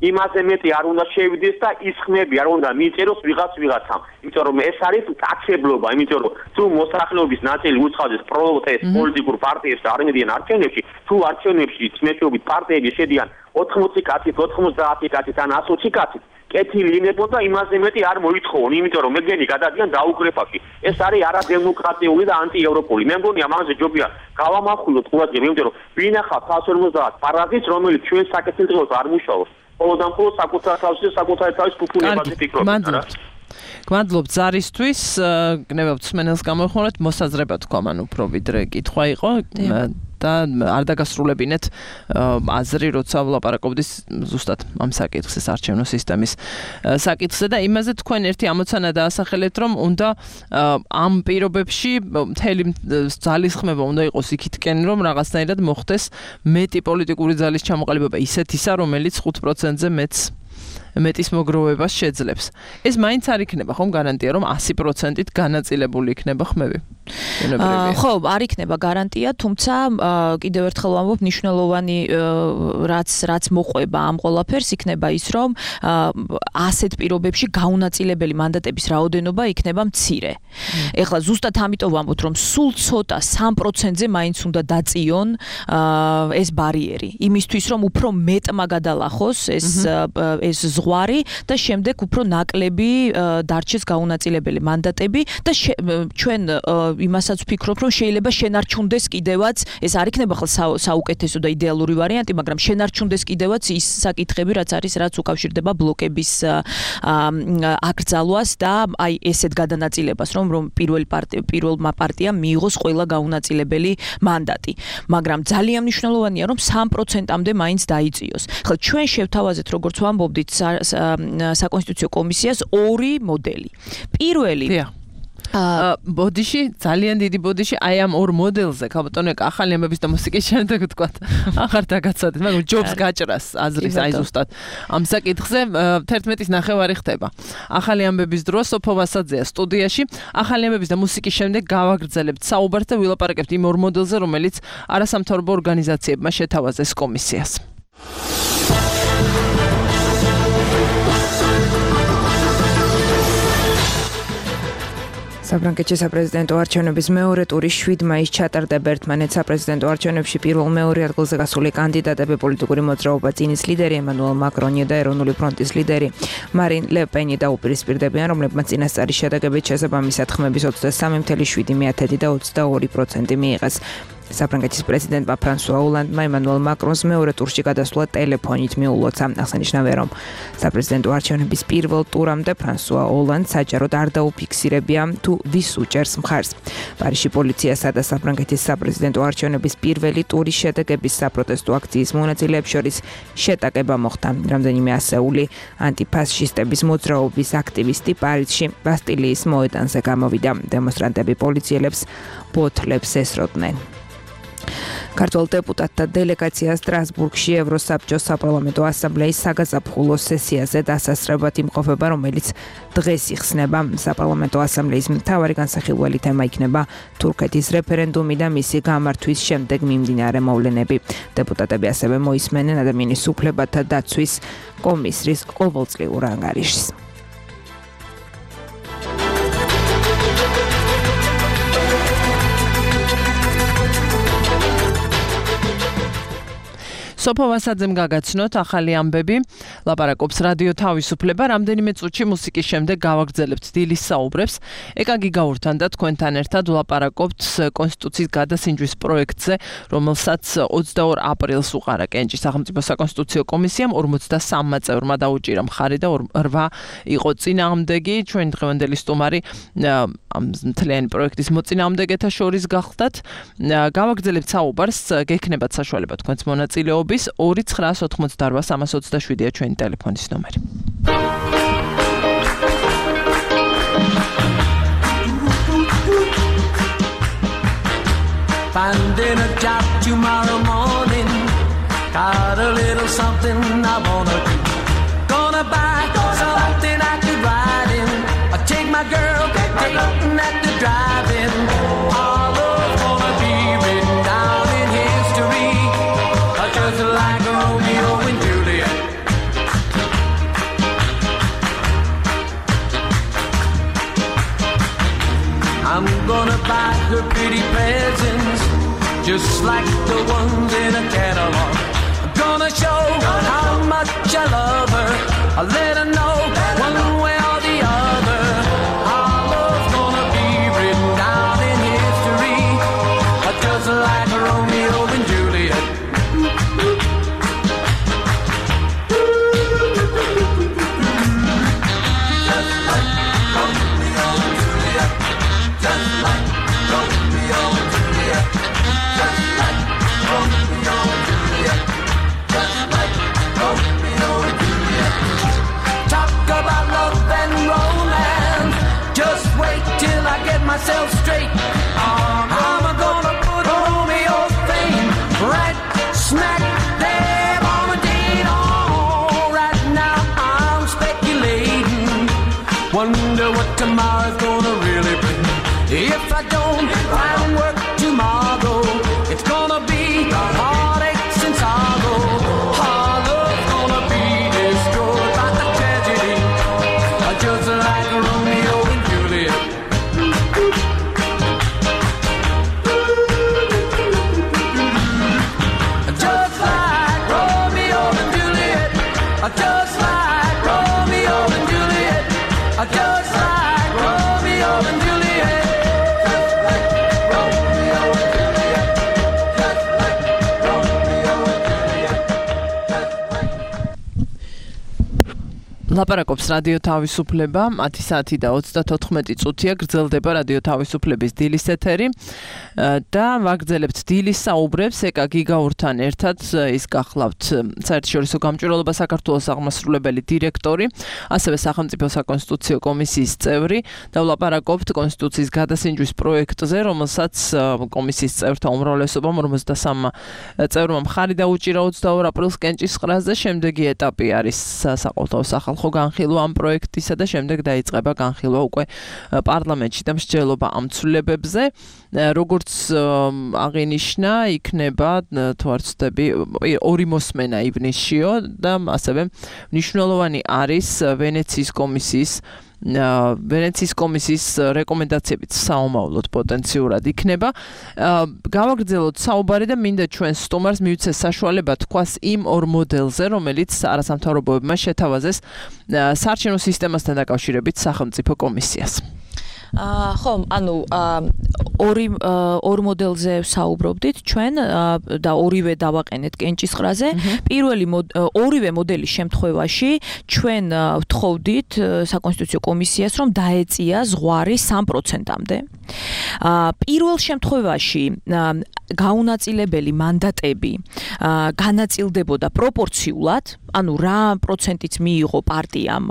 იმაზე მეტი არ უნდა შევიდეს და ის ხმები არ უნდა მიიწეროს ვიღაცამ იმიტომ რომ ეს არის კაცებლობა იმიტომ რომ თუ მოსახლეობის ნაწილი უცხადეს პროტესტ პოლიტიკურ პარტიებს არ მიდიან არჩევნებში თუ არჩევნებში წმენდობით პარტიები შედიან 80 კაცით 90 კაცით ან 120 კაცით კეთილი ინებონ და იმაზე მეტი არ მოითხოვონ იმიტომ რომ მეგენი გადადიან დაუკრეფაში ეს არის არადემოკრატიული და ანტიევროპული მე მგონია ამაზე ჯობია გავამახვილოთ ყურადღება იმიტომ რომ ვინახავთ 150 პარაზიტს რომელიც ჩვენ საკეთილდღეოდ არ მუშაობს ყოველდღე საკუთარ თავის ფუფუნებაზე ფიქრობთ გმადლობთ ზარისთვის გნებავთ მსმენელს გამოიხმაროთ მოსაზრება თქვა მან უფრო ვიდრე კითხვა იყო და არ დაგასრულებინეთ აზრი როცა ვლაპარაკობდის ზუსტად ამ საკითხის არჩევნო სისტემის საკითხზე და იმაზე თქვენ ერთი ამოცანა დაასახელეთ რომ უნდა ამ პირობებში მთელი ძალის ხმება უნდა იყოს იქითკენ რომ რაღაცნაირად მოხდეს მეტი პოლიტიკური ძალის ჩამოყალიბება ისეთისა რომელიც 5%-ზე მეტის მოგროვებას შეძლებს. ეს მაინც არ იქნება ხომ გარანტია რომ 100%-ით განაწილებული იქნება ხმები. ხო, არ იქნება გარანტია, თუმცა კიდევ ერთხელ ვამბობ, მნიშვნელოვანი რაც მოყვება ამ ყველაფერს იქნება ის, რომ ასეთ პირობებში გაუნაწილებელი მანდატების რაოდენობა იქნება მცირე. ეხლა ზუსტად ამიტომ ვამბობ, რომ სულ ცოტა 3%-ზე მაინც უნდა დაწიონ ეს ბარიერი, იმისთვის რომ უფრო მეტმა გადალახოს ეს ზღვარი და შემდეგ უფრო ნაკლები დარჩეს გაუნაწილებელი მანდატები და ჩვენ იმასაც ვფიქრობ, რომ შეიძლება შენარჩუნდეს კიდევაც, ეს არ იქნება ხალ საუკეთესო და იდეალური ვარიანტი, მაგრამ შენარჩუნდეს კიდევაც ის საკითხები, რაც უკავშირდება ბლოკების აკრძალვას და აი ესეთ გადანაწილებას, რომ პირველმა პარტიამ მიიღოს ყველა გაუნაწილებელი მანდატი. მაგრამ ძალიან მნიშვნელოვანია, რომ 3%-ამდე მაინც დაიწიოს. ხლა ჩვენ შევთავაზეთ, როგორც ვამბობდით, საკონსტიტუციო კომისიას ორი მოდელი. პირველი ბოდიში ძალიან დიდი ბოდიში აი ამ ორ მოდელზე ქალბატონო ახალი ამბების და მუსიკის შემდეგ ვთქვა აღარ დაგაცადეთ მაგრამ ჯობს გაჭრას აზრის აი ზუსტად ამ საკითხზე 11:09 ხდება ახალი ამბების დრო სოფო ვასაძეა სტუდიაში ახალი ამბების და მუსიკის შემდეგ გავაგრძელებთ საუბარს და ვილაპარაკებთ იმ ორ მოდელზე რომელიც არასამთავრობო ორგანიზაციებმა შეთავაზეს კომისიას საფრანგეთში საპრეზიდენტო არჩევნების მეორე ტური 7 მაისს ჩატარდება ერთმანეთ საპრეზიდენტო არჩევნებში პირველ-მეორე ადგილზე გასული კანდიდატები პოლიტიკური მოძრაობა წინის ლიდერი ემანუელ მაკრონი და ეროვნული ფრონტის ლიდერი მარინ ლე პენი დაუპირისპირდებიან, რომლებმაც წინასწარი შედეგებით შესაბამისად ხმების 23.7% და 22% მიიღეს. საფრანგეთის პრეზიდენტმა ფრანსუა ოლანდმა ემანუელ მაკრონს მეორე ტურში გადასვლა ტელეფონით მიულოცა. აღსანიშნავია, რომ საპრეზიდენტო არჩევნების პირველ ტურამდე ფრანსუა ოლანდს საჯაროდ არ დაუფიქსირებია თუ ვის უჭერს მხარს. პარიზში პოლიციასა და საფრანგეთის საპრეზიდენტო არჩევნების პირველი ტურის შედეგების საპროტესტო აქციის მონაწილეებს შორის შეტაკება მოხდა. რამდენიმე ასეული ანტიფაშისტების მოძრაობის აქტივისტი პარიზში ბასტილიის მოედანზე გამოვიდა. დემონსტრანტები პოლიციელებს ბოთლებს ესროდნენ. ქართულ დეპუტატთა დელეგაცია სტრასბურგში ევროსაბჭოს საპარლამენტო ასამბლეის საგაზაფხულო სესიაზე დასასრებად იმყოფება, რომელიც დღეს იხსნება. საპარლამენტო ასამბლეის მთავარი განსახილველი თემა იქნება თურქეთის რეფერენდუმი და მისი გამართვის შემდეგ მიმდინარე მოვლენები. დეპუტატები ასევე მოისმენენ ადამიანის უფლებათა დაცვის კომისრის ყოველწლიურ ანგარიშს. სოფო ვასაძემ გაგაცნოთ ახალი ამბები, ლაპარაკობს რადიო თავისუფლება, რამდენიმე წუთში მუსიკის შემდეგ გავაგრძელებთ დილის საუბრებს. ეკაგი გაურთან და თქვენთან ერთად ვლაპარაკობთ კონსტიტუციის გადასინჯვის პროექტზე, რომელსაც 22 აპრილს უყარა კენჭის სახელმწიფო საკონსტიტუციო კომისიამ 53 წევრმა დაუჭირა მხარი და 8 იყო წინააღმდეგი. ჩვენ დღევანდელი სტუმარი ამ მთლიანი პროექტის მოწინააღმდეგეთა შორის გახდათ. გავაგრძელებთ საუბარს, გექნებათ საშუალება თქვენს მონაწილეობის 2988327-ია ჩვენი ტელეფონის ნომერი. Finding a job tomorrow morning, got a little something I wanna do. Gonna buy something I could ride in. I take my girl dating at the drive-in. All of gonna be written down in history, just like Romeo and Juliet. I'm gonna buy her pretty presents, just like the ones in a catalog. I'm gonna show how much I love her. I'll let her know one way or the other. Our love's gonna be written down in history, just like Romeo and Juliet. Myself straight. I'm gonna put Romeo's fame right smack there on the date. Oh, right now I'm speculating. Wonder what tomorrow's gonna really bring. If I don't find work tomorrow, it's gonna be heartaches and sorrow. Our love's gonna be destroyed by the tragedy, just like Romeo and Juliet. Just like Romeo and Juliet. Just like Romeo and Juliet. Just like Romeo and Juliet. Just like Romeo and Juliet. ლაპარაკობს რადიო თავისუფლება 10 საათი და 34 წუთია გრძელდება რადიო თავისუფლების დილის ეთერი და ვაგრძელებთ დილის საუბრებს ეკა გიგაურთან ერთად ის გახლავთ საერთაშორისო გამჭვირვალობა საქართველოს აღმასრულებელი დირექტორი ასევე სახელმწიფო საკონსტიტუციო კომისიის წევრი და ვლაპარაკობთ კონსტიტუციის გადასინჯვის პროექტზე რომელსაც კომისიის წევრთა უმრავლესობამ 53 წევრმა მხარი დაუჭირა 22 აპრილს კენჭისყრაზე შემდეგი ეტაპი არის საყოველთაო სახალხო განხილვა ამ პროექტისა და შემდეგ დაიწყება განხილვა უკვე პარლამენტში და მსჯელობა ამ ცვლილებებზე როგორც აღინიშნა იქნება თუ არ ვცდები ორი მოსმენა ივნისშიო და ასევე მნიშვნელოვანი არის ვენეციის კომისიის რეკომენდაციებიც საომავლოდ პოტენციურად იქნება. გავაგრძელოთ საუბარი და მინდა ჩვენ სტუმარს მივცეს საშუალება თქვას იმ ორ მოდელზე, რომელიც არასამთავრობოებმა შეთავაზეს საარჩევნო სისტემასთან დაკავშირებით სახელმწიფო კომისიას. ხო, ანუ ორ მოდელზე საუბრობდით ჩვენ და ორივე დავაყენეთ კენჭისყრაზე. ორივე მოდელის შემთხვევაში ჩვენ ვთხოვდით საკონსტიტუციო კომისიას, რომ დაეწია ზღვარი 3%-მდე. პირველ შემთხვევაში გაუნაწილებელი მანდატები განაწილდებოდა პროპორციულად, ანუ რა პროცენტიც მიიღო პარტიამ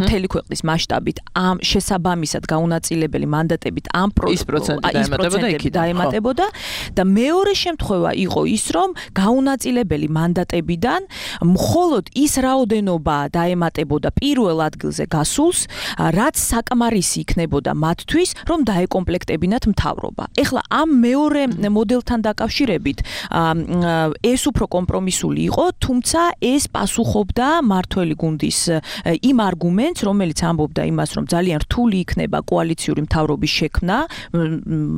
მთელი ქვეყნის მასშტაბით ამ შესაბამისად გაუნაწილებელი მანდატებით ამ პროცენტები დაემატებოდა და მეორე შემთხვევა იყო ის, რომ გაუნაწილებელი მანდატებიდან მხოლოდ ის რაოდენობა დაემატებოდა პირველ ადგილზე გასულს, რაც საკმარისი იქნებოდა მათთვის, რომ დაეკომპლექტებინათ მთავრობა. ეხლა ამ მეორე მოდელთან დაკავშირებით ეს უფრო კომპრომისული იყო, თუმცა ეს პასუხობდა მართველი გუნდის იმ არგუმენტს, რომელიც ამბობდა იმას, რომ ძალიან რთული იქნება კოალიციური მთავრობის შექმნა,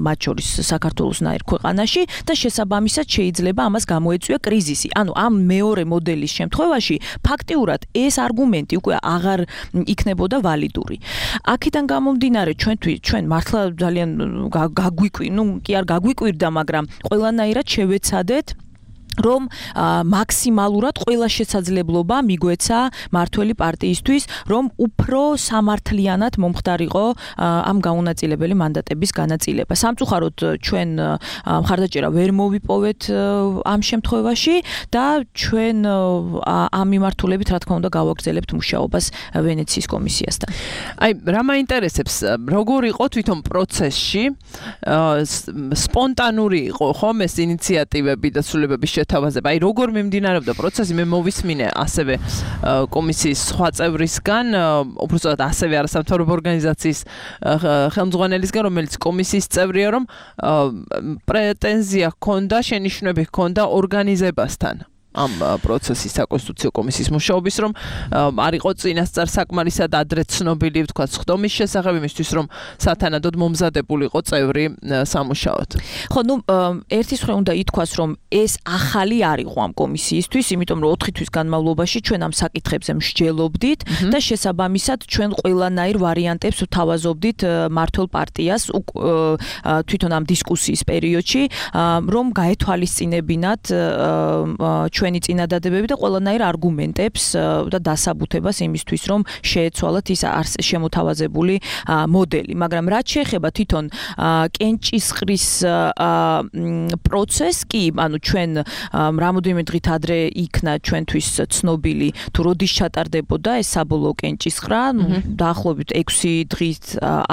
მათ შორის საქართველოსნაირ ქვეყანაში და შესაბამისად შეიძლება ამას გამოეწვია კრიზისი. ანუ ამ მეორე მოდელის შემთხვევაში ფაქტიურად ეს არგუმენტი უკვე აღარ იქნებოდა ვალიდური. აქედან გამომდინარე ჩვენ მართლა ძალიან კი არ გაგვიკვირდა, მაგრამ ყველანაირად შევეცადეთ რომ მაქსიმალურად ყველა შესაძლებლობა მიგვეცა მართველი პარტიისთვის, რომ უფრო სამართლიანად მომხდარიყო ამ გაუნაწილებელი მანდატების განაწილება. სამწუხაროდ ჩვენ მხარდაჭერა ვერ მოვიპოვეთ ამ შემთხვევაში და ჩვენ ამ მიმართულებით რა თქმა უნდა გავაგრძელებთ მუშაობას ვენეციის კომისიასთან. აი, რა მაინტერესებს, როგორ იყო თვითონ პროცესში, სპონტანური იყო ხომ ეს ინიციატივები და ცვლილებების შეთავაზება. აი, როგორ მიმდინარეობდა პროცესი, მე მოვისმინე ასევე კომისიის სხვა წევრისგან, უბრალოდ ასევე არასამთავრობო ორგანიზაციის ხელმძღვანელისგან, რომელიც კომისიის წევრია, რომ პრეტენზია ჰქონდა, შენიშვნები ჰქონდა ორგანიზებასთან. ამ პროცესის საკონსტიტუციო კომისიის მუშაობის, რომ არ იყო წინასწარ საკმარისად ადრე ცნობილი, თქვა ხდომის შესახებ იმისთვის, რომ სათანადოდ მომზადებულიყო წევრი სამუშაოდ. ხო, ერთის მხრივ უნდა ითქვას, რომ ეს ახალი არ იყო ამ კომისიისთვის, იმიტომ რომ 4 თვის განმავლობაში ჩვენ ამ საკითხებზე მსჯელობდით და შესაბამისად ჩვენ ყველანაირ ვარიანტებს ვთავაზობდით მართლ პარტიას თვითონ ამ დისკუსიის პერიოდში, რომ გაეთვალისწინებინათ ჩვენი წინადადებები და ყველანაირ არგუმენტებს და დასაბუთებას იმისთვის, რომ შეეცვალათ ის შემოთავაზებული მოდელი. მაგრამ რაც შეეხება თვითონ კენჭისყრის პროცესს კი, ანუ ჩვენ რამოდენიმე დღით ადრე იქნა ჩვენთვის ცნობილი, თუ როდის ჩატარდებოდა ეს საბოლოო კენჭისყრა, დაახლოებით 6 დღით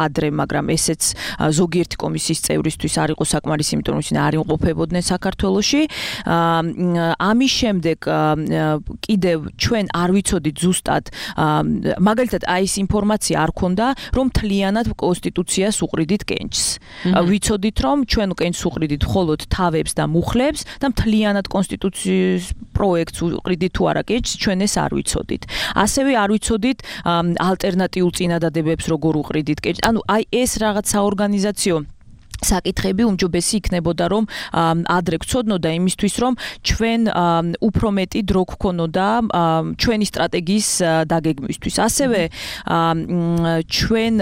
ადრე, მაგრამ ესეც ზოგიერთი კომისიის წევრისთვის არ იყო საკმარისი, იმიტომ რომ ისინი არ იმყოფებოდნენ საქართველოში. ამის შემდეგ კიდევ ჩვენ არ ვიცოდით ზუსტად, მაგალითად აი ეს ინფორმაცია არ ქონდა, რომ თლიანად კონსტიტუციას უყრიდით კენჭს. ვიცოდით, რომ ჩვენ კენჭს უყრიდით მხოლოდ თავებს და მუხლებს და თლიანად კონსტიტუციის პროექტს უყრიდით თუ არა კენჭს, ჩვენ ეს არ ვიცოდით. ასევე არ ვიცოდით ალტერნატიულ წინადადებებს როგორ უყრიდით კენჭს. ანუ აი ეს რაღაც საორგანიზაციო საკითხები უმჯობესი იქნებოდა რომ ადრე გწოდნოდა იმისთვის რომ ჩვენ უფრო მეტი დრო გქონოდა ჩვენი სტრატეგიის დაგეგმვისთვის. ასევე ჩვენ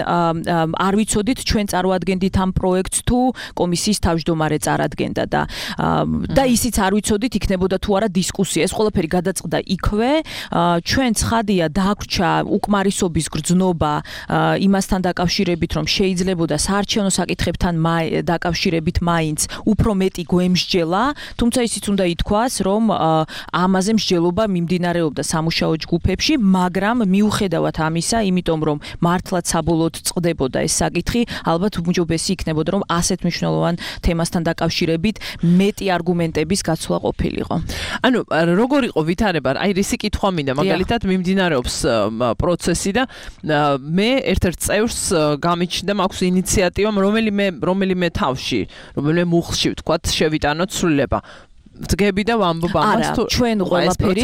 არ ვიცოდით ჩვენ წარვადგენდით ამ პროექტს თუ კომისიის თავმჯდომარე წარადგენდა და ისიც არ ვიცოდით იქნებოდა თუ არა დისკუსია. ეს ყველაფერი გადაწყდა იქვე. ჩვენ ცხადია დაგვჭა უკმარისობის გრძნობა იმასთან დაკავშირებით რომ შეიძლებოდა საარჩევნო საკითხებთან დაკავშირებით მაინც უფრო მეტი გვემსჯელა, თუმცა ისიც უნდა ითქვას, რომ ამაზე მსჯელობა მიმდინარეობდა სამუშაო ჯგუფებში, მაგრამ მიუხედავად ამისა, იმიტომ რომ მართლაც საბოლოოდ წყდებოდა ეს საკითხი, ალბათ უმჯობესი იქნებოდა რომ ასეთ მნიშვნელოვან თემასთან დაკავშირებით მეტი არგუმენტების გაცვლა ყოფილიყო. ანუ როგორ იყო ვითარება? აი რისი კითხვა მინდა, მაგალითად მიმდინარეობს პროცესი და მე ერთ-ერთ წევრს გამიჩნდა მაქვს ინიციატივა რომელიმე თავში, რომელიმე მუხლში ვთქვათ, შევიტანოთ სრულება. ძგები და ვამბობ ამას თუ ჩვენ ყველაფერი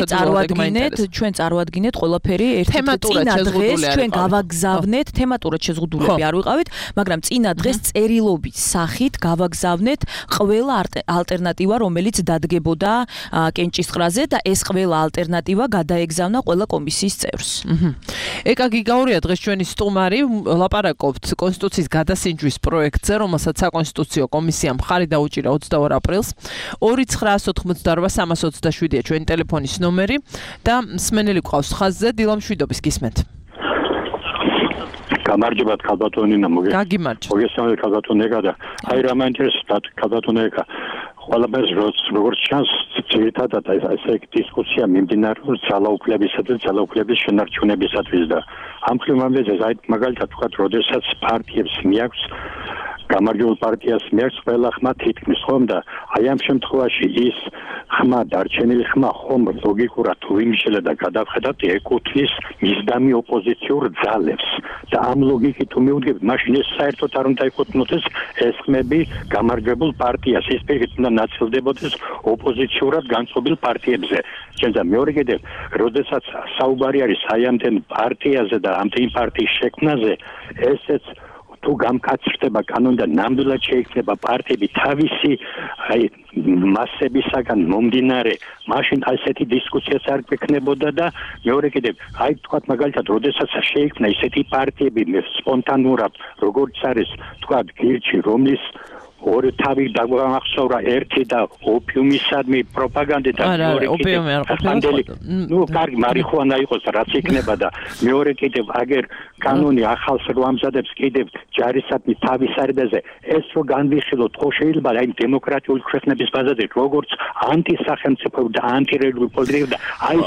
წარვადგინეთ ყველაფერი ერთ-ერთ წინა დღეს ჩვენ გავაგზავნეთ თემატურად შეზღუდულები არ ვიყავით, მაგრამ წინა დღეს წერილობით სახით გავაგზავნეთ ყველა ალტერნატივა რომელიც დადგებოდა კენჭისყრაზე და ეს ყველა ალტერნატივა გადაეგზავნა ყველა კომისიის წევრს. ეკა გიგაურია დღეს ჩვენი სტუმარი, ლაპარაკობთ კონსტიტუციის გადასინჯვის პროექტზე, რომელსაც საკონსტიტუციო კომისიამ მხარი დაუჭირა 22 აპრილს. 2988327-ია ჩვენი ტელეფონის ნომერი და მსმენელი გვყავს ხაზზე. დილა მშვიდობის, გისმენთ. გამარჯობათ ქალბატონინა, გაგიმარჯობთ. მოგესალმებით ქალბატონიკა და აი რა მაინტერესებთ ქალბატონიკა. ყველაფერს როგორც ჩანს, ძირითადად ესე დისკუსია მიმდინარეობს ძალაუფლებისა და ძალაუფლების შენარჩუნებისათვის და ამ ხრივამდე აი მაგალითად ვთქვათ, როდესაც პარტიებს მიაქვს გამარჯვებულ პარტიას მიაქვს ყველა ხმა თითქმის ხომ და აი ამ შემთხვევაში ის ხმა დარჩენილი ხმა ხომ ლოგიკურად თუ იმშელა და გადავხედავთ ეკუთვნის მისდამი ოპოზიციურ ძალებს და ამ ლოგიკით თუ მივუდგებით მაშინ ეს საერთოდ არ უნდა ეკუთვნოდეს ეს ხმები გამარჯვებულ პარტიას, ის პირიქით უნდა ნაწილდებოდეს ოპოზიციურად განწყობილ პარტიებზე. და მეორე კიდევ როდესაც საუბარი არის აი ამდენ პარტიაზე და ამდენ პარტიის შექმნაზე, ესეც თუ გამკაცრდება კანონი და ნამდვილად შეიქმნება პარტიები თავისი აი მასებისაგან მომდინარე, მაშინ ასეთი დისკუსიაც არ გვექნებოდა და მეორე კიდევ აი თქვათ მაგალითად როდესაც შეიქმნა ისეთი პარტიები სპონტანურად, როგორც არის თქვათ გირჩი, რომლის ორი თავი დაგვახსოვრა, ერთი და ოპიუმისადმი პროპაგანდა და მეორე კიდევ კარგი მარიხუანა იყოს რაც იქნება და მეორე კიდევ აგერ კანონი ახალს რო ამზადებს კიდევ ჯარისადმი თავის არიდაზე ეს რო განვიხილოთ ხო შეიძლება აი დემოკრატიული ქვეყნების ბაზაზე როგორც ანტისახელმწიფო და ანტირელიგიური პოლიტიკა და აი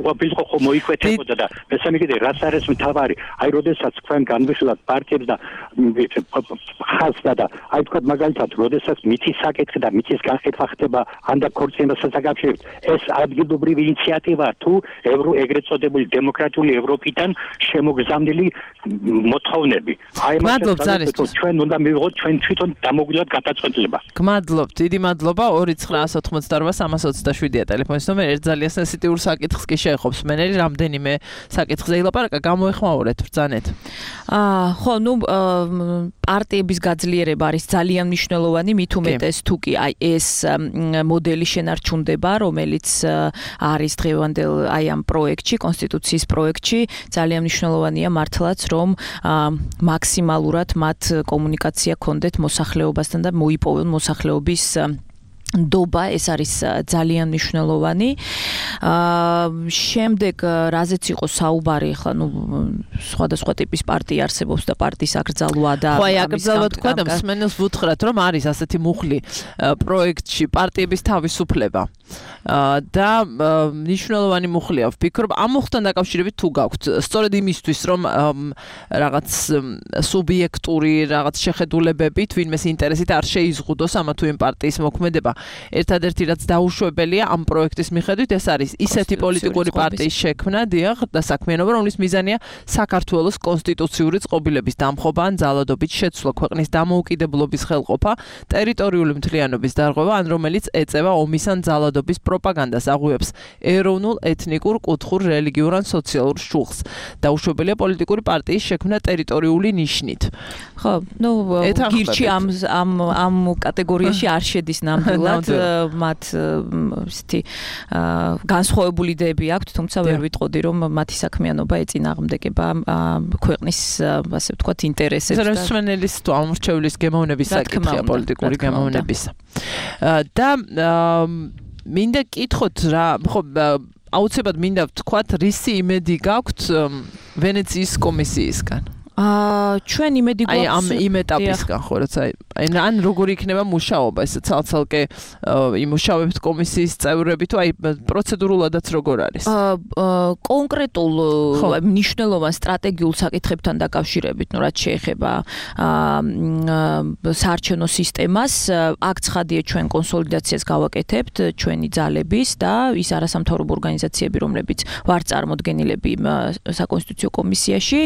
ყოფილიყო ხო მოიკვეთებოდა და მესამე კიდევ რაც არის მთავარი აი როდესაც თქვენ განვიხილოთ პარტიებს და ხაზს და აი თქვათ მაგალითად, როდესაც მითის საკითხი და მითის განხეთქვა ხდება ანდა ქორწინებასთან დაკავშირებით, ეს ადგილობრივი ინიციატივაა თუ ეგრეთ წოდებული დემოკრატიული ევროპიდან შემოგზავნილი მოთხოვნები. აი მადლობთ, ჩვენ უნდა მივიღოთ ჩვენ თვითონ დამოგვიდათ გადაწყვეტილება. გმადლობთ, დიდი მადლობა. 2988327-ია ტელეფონის ნომერი. ერთ ძალიან სენსიტიურ საკითხს კი შეეხობს მენელი, რამდენიმე საკითხზე ილაპარაკა, გამოეხმაურეთ ბრძანეთ. ხო, პარტიების გაძლიერება არის ძალიან მნიშვნელოვანი, მით უმეტეს თუ კი აი ეს მოდელი შენარჩუნდება, რომელიც არის დღევანდელ აი ამ პროექტში, კონსტიტუციის პროექტში, ძალიან მნიშვნელოვანია მართლაც, რომ მაქსიმალურად მათ კომუნიკაცია ქონდეთ მოსახლეობასთან და მოიპოვონ მოსახლეობის დობა, ეს არის ძალიან მნიშვნელოვანი. შემდეგ რაზეც იყო საუბარი, ხა სხვადასხვა ტიპის პარტია არსებობს და პარტიის აკრძალვა და ხო, აი აკრძალვა თქვა და მსმენელს ვუთხრათ, რომ არის ასეთი მუხლი პროექტში პარტიების თავისუფლება. და მნიშვნელოვანი მუხლია, ვფიქრობ, ამ მუხლთან დაკავშირებით თუ გაქვთ, სწორედ იმისთვის, რომ რაღაც სუბიექტური რაღაც შეხედულებებით, ვინმეს ინტერესით არ შეიზღუდოს ამა თუ იმ პარტიის მოქმედება. ერთადერთი რაც დაუშვებელია ამ პროექტის მიხედვით ეს არის ისეთი პოლიტიკური პარტიის შექმნა, დიახ, და საქმიანობა, რომლის მიზანია საქართველოს კონსტიტუციური წყობილების დამხობა ან ძალადობით შეცვლა, ქვეყნის დამოუკიდებლობის ხელყოფა, ტერიტორიული მთლიანობის დარღვევა, ან რომელიც ეწევა ომის ან ძალადობის პროპაგანდას, აღუევს ეროვნულ, ეთნიკურ, კუთხურ, რელიგიურ ან სოციალურ შუხს. დაუშვებელია პოლიტიკური პარტიის შექმნა ტერიტორიული ნიშნით. ხო, ну, გირჩი ამ კატეგორიაში არ შედის ნამდვილად, მათ ისეთი განსხვავებული იდეები აქვთ, თუმცა ვერ ვიტყოდი, რომ მათი საქმიანობა ეწინააღმდეგება ქვეყნის, ასე ვთქვათ, ინტერესებს და მსმენელის თუ ამორჩევლის გემოვნების საკითხია პოლიტიკური გემოვნებისა. და მინდა კითხოთ რა, ხო, აუცილებლად მინდა ვთქვათ, რისი იმედი გაქვთ ვენეციის კომისიისგან? ჩვენ იმედი გვაქვს ამ იმ ეტაპისგან ხო რაც ან როგორი იქნება მუშაობა ეს ცალ-ცალკე იმუშავებთ კომისიის წევრები თუ პროცედურულადაც როგორ არის კონკრეტულ მნიშვნელოვან სტრატეგიულ საკითხებთან დაკავშირებით რაც შეეხება საარჩევნო სისტემას აქ ცხადია ჩვენ კონსოლიდაციას გავაკეთებთ ჩვენი ძალების და ის არასამთავრობო ორგანიზაციები რომლებიც ვარ წარმოდგენილები საკონსტიტუციო კომისიაში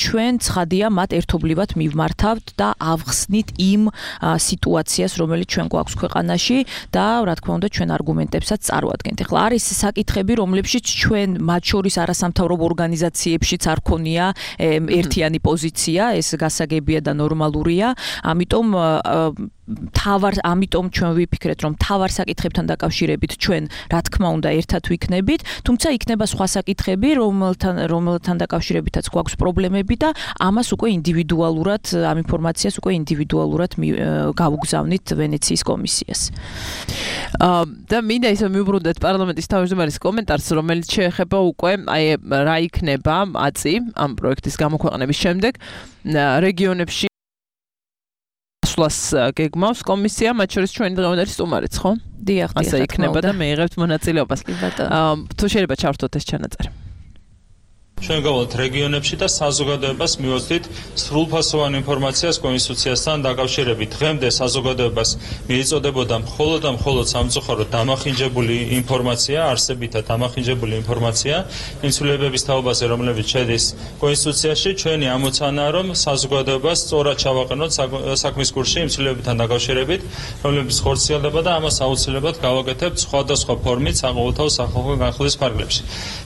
ჩვენ ცხადია მათ ერთობლივად მივმართავთ და ავხსნით იმ სიტუაციას, რომელიც ჩვენ გვაქვს ქვეყანაში და რა თქმა უნდა ჩვენ არგუმენტებსაც წარვადგენთ. ეხლა არის საკითხები, რომლებშიც ჩვენ მათ შორის არასამთავრობო ორგანიზაციებშიც არ ქონია ერთიანი პოზიცია, ეს გასაგებია და ნორმალურია. ამიტომ ჩვენ ვიფიქრეთ, რომ თავარ საკითხებთან დაკავშირებით ჩვენ რა თქმა უნდა ერთად ვიქნებით, თუმცა იქნება სხვა საკითხები, რომელთან დაკავშირებითაც გვაქვს პრობლემები და ამას უკვე ინდივიდუალურად, ამ ინფორმაციას უკვე ინდივიდუალურად გავუგზავნით ვენეციის კომისიას. და მინდა ისე მივუბრუნდეთ პარლამენტის თავმჯდომარის კომენტარს, რომელიც შეეხება უკვე რა იქნება აწი ამ პროექტის გამოქვეყნების შემდეგ რეგიონებში სვლას გეგმავს კომისია, მათ შორის ჩვენი დღევანდელი სტუმარიც, ხო? დიახ, ასე იქნება და მეიღებთ მონაწილეობას. თუ შეიძლება ჩართოთ ეს ჩანაწერი. ჩვენ გავალთ რეგიონებში და საზოგადოებას მივაწვდით სრულფასოვან ინფორმაციას კონსტიტუციასთან დაკავშირებით. დღემდე საზოგადოებას მიეწოდებოდა მხოლოდ სამწუხაროდ დამახინჯებული ინფორმაცია, არსებითად დამახინჯებული ინფორმაცია იმ ცვლილებების თაობაზე, რომლებიც შედის კონსტიტუციაში. ჩვენი ამოცანაა, რომ საზოგადოებას სწორად ჩავაყენოთ საქმის კურსში იმ ცვლილებებთან დაკავშირებით, რომლებიც ხორციელდება და ამას აუცილებლად გავაკეთებთ სხვადასხვა ფორმით საყოველთაო სახალხო განხილვის ფარგლებში.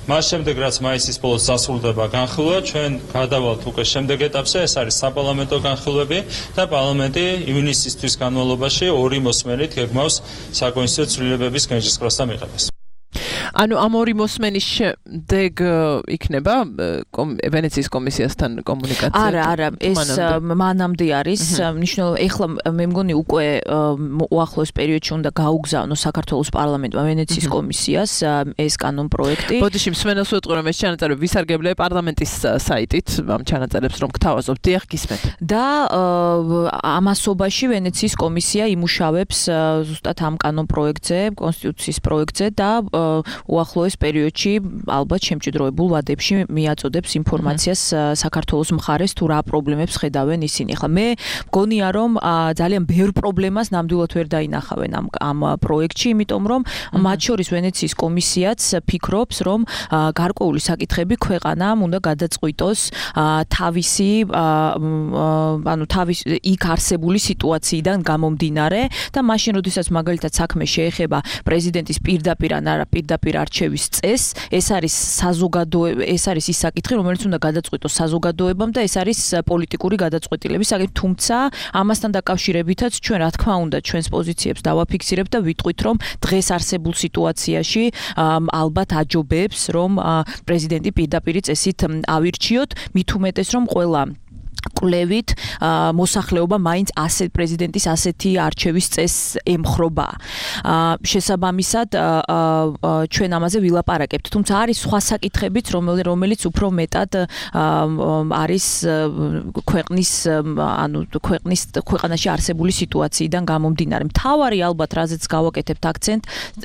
მას შემდეგ რაც მაისის ბოლოს სრულდება განხილვა, ჩვენ გადავალთ უკვე შემდეგ ეტაპზე, ეს არის საპარლამენტო განხილვები და პარლამენტი ივნისისთვის განმავლობაში ორი მოსმენით გეგმავს საკონსტიტუციო ცვლილებების განხილვას და მიღებას. ანუ ამ ორი მოსმენის შემდეგ იქნება ვენეციის კომისიასთან კომუნიკაცია? არა, ეს მანამდე არის, მნიშვნელოვანი. ეხლა მე მგონი უკვე უახლოეს პერიოდში უნდა გაუგზავნოს საქართველოს პარლამენტმა ვენეციის კომისიას ეს კანონპროექტი. ბოდიში მსმენელს ვეტყვი, რომ ეს ჩანაწერი ვისარგებლია პარლამენტის საიტით, ამ ჩანაწერებს რომ გთავაზობ, დიახ გისმენთ. და ამასობაში ვენეციის კომისია იმუშავებს ზუსტად ამ კანონპროექტზე, კონსტიტუციის პროექტზე და უახლოეს პერიოდში ალბათ შემჭიდროებულ ვადებში მიაწოდებს ინფორმაციას საქართველოს მხარეს თუ რა პრობლემებს ხედავენ ისინი. ახლა მე მგონია რომ ძალიან ბევრ პრობლემას ნამდვილად ვერ დაინახავენ ამ პროექტში, იმიტომ რომ მათ შორის ვენეციის კომისიაც ფიქრობს, რომ გარკვეული საკითხები ქვეყანამ უნდა გადაწყვიტოს თავისი იქ არსებული სიტუაციიდან გამომდინარე და მაშინ როდესაც მაგალითად საქმე შეეხება პრეზიდენტის პირდაპირ ან არა პირდაპირ არჩევის წესს, ეს არის ეს არის ის საკითხი, რომელიც უნდა გადაწყვიტოს საზოგადოებამ და ეს არის პოლიტიკური გადაწყვეტილების საკითხი, თუმცა ამასთან დაკავშირებითაც ჩვენ რა თქმა უნდა ჩვენს პოზიციებს დავაფიქსირებთ და ვიტყვით, რომ დღეს არსებულ სიტუაციაში ალბათ აჯობებს, რომ პრეზიდენტი პირდაპირ წესით ავირჩიოთ, მით უმეტეს რომ ყველა კვლევით მოსახლეობა მაინც პრეზიდენტის ასეთი არჩევის წესს ემხრობა. შესაბამისად ჩვენ ამაზე ვილაპარაკებთ, თუმცა არის სხვა საკითხებიც, რომელიც უფრო მეტად არის ქვეყანაში არსებული სიტუაციიდან გამომდინარე. მთავარი ალბათ რაზეც გავაკეთებთ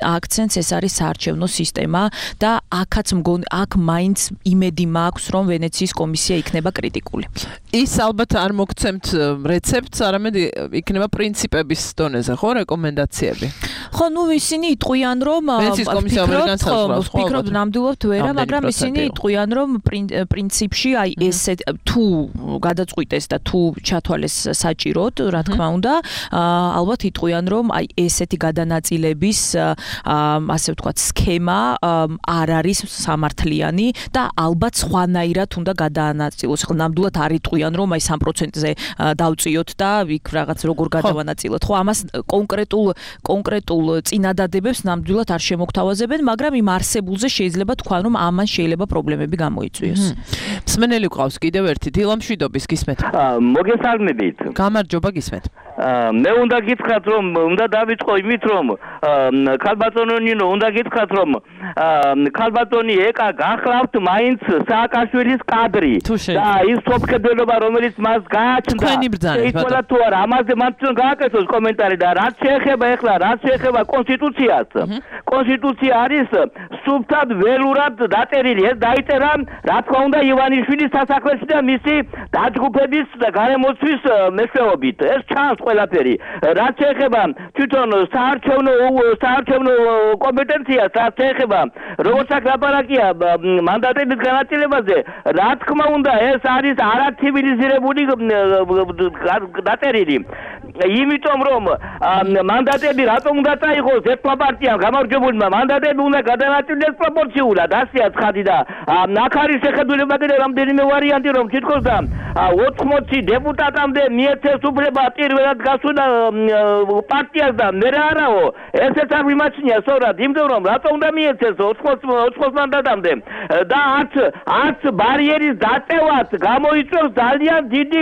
აქცენტს ეს არის საარჩევნო სისტემა და აქ მაინც იმედი მაქვს, რომ ვენეციის კომისია იქნება კრიტიკული. ის ალბათ არ მოგცემთ რეცეპტს, არამედ იქნება პრინციპების დონეზე, ხო, რეკომენდაციები. ხო, ნუ ისინი იტყვიან, რომ ვფიქრობ ნამდვილად ვერა, მაგრამ ისინი იტყვიან, რომ პრინციპში აი ესე თუ გადაწყვიტეს და თუ ჩათვალეს საჭიროდ, რა თქმა უნდა, ალბათ იტყვიან, რომ აი ესეთი გადანაწილების ასე ვთქვათ, სქემა არ არის სამართლიანი და ალბათ სხვანაირად უნდა გადაანაწილოს. ხო, ნამდვილად არ იტყვიან, რომ აი 3%-ზე დავწიოთ და იქ რაღაც როგორ გადავანაწილოთ. ხო, ამას კონკრეტულ წინადადებებს ნამდვილად არ შემოგთავაზებენ, მაგრამ იმ არსებულზე შეიძლება თქვან, რომ ამან შეიძლება პრობლემები გამოიწვიოს. მსმენელი გვყავს კიდევ ერთი დილამშვიდობის გისმენთ. მოგესალმებით. გამარჯობა გისმენთ. მე უნდა გითხრათ, რომ უნდა დავიწყო იმით, რომ ქალბატონო ნინო უნდა გითხრათ, რომ ქალბატონი ეკა გახლავთ მაინც სააკაშვილის კადრი და ის თოფქებელობა, რომელიც მას გააჩნდა. შეიძლება თუ არა, ამაზე მან გააკეთოს კომენტარი და რაც შეეხება კონსტიტუციას. კონსტიტუცია არის სუფთად ველურად დაწერილი. ეს დაიწერა, რა თქმა უნდა, ივანიშვილის სასახლეში და მისი დაჯგუფების და გარემოცვის მეშვეობით. ეს ჩანს ყველაფერი. რაც შეეხება თვითონ საარჩევნო კომპეტენციას, რაც შეეხება როგორც ლაპარაკია მანდატების განაწილებაზე, რა თქმა უნდა, ეს არის არაცივილიზირებული დაწერილი. იმიტომ რომ მანდატები რატომ უნდა წაიღოს ერთმა პარტიამ გამარჯვებულმა, მანდატები უნდა გადანაწილდეს პროპორციულად, ასეა ცხადი და აქ არის შეხედულება კიდე რამდენიმე ვარიანტი, რომ თითქოს და 80 დეპუტატამდე მიეცეს უფლება პირველად გასვლა პარტიას და მე არაო, ესეც არ მიმაჩნია სწორად, იმიტომ რომ რატომ უნდა მიეცეს 80 მანდატამდე და არც ბარიერის დაწევად გამოიწვევს ძალიან დიდი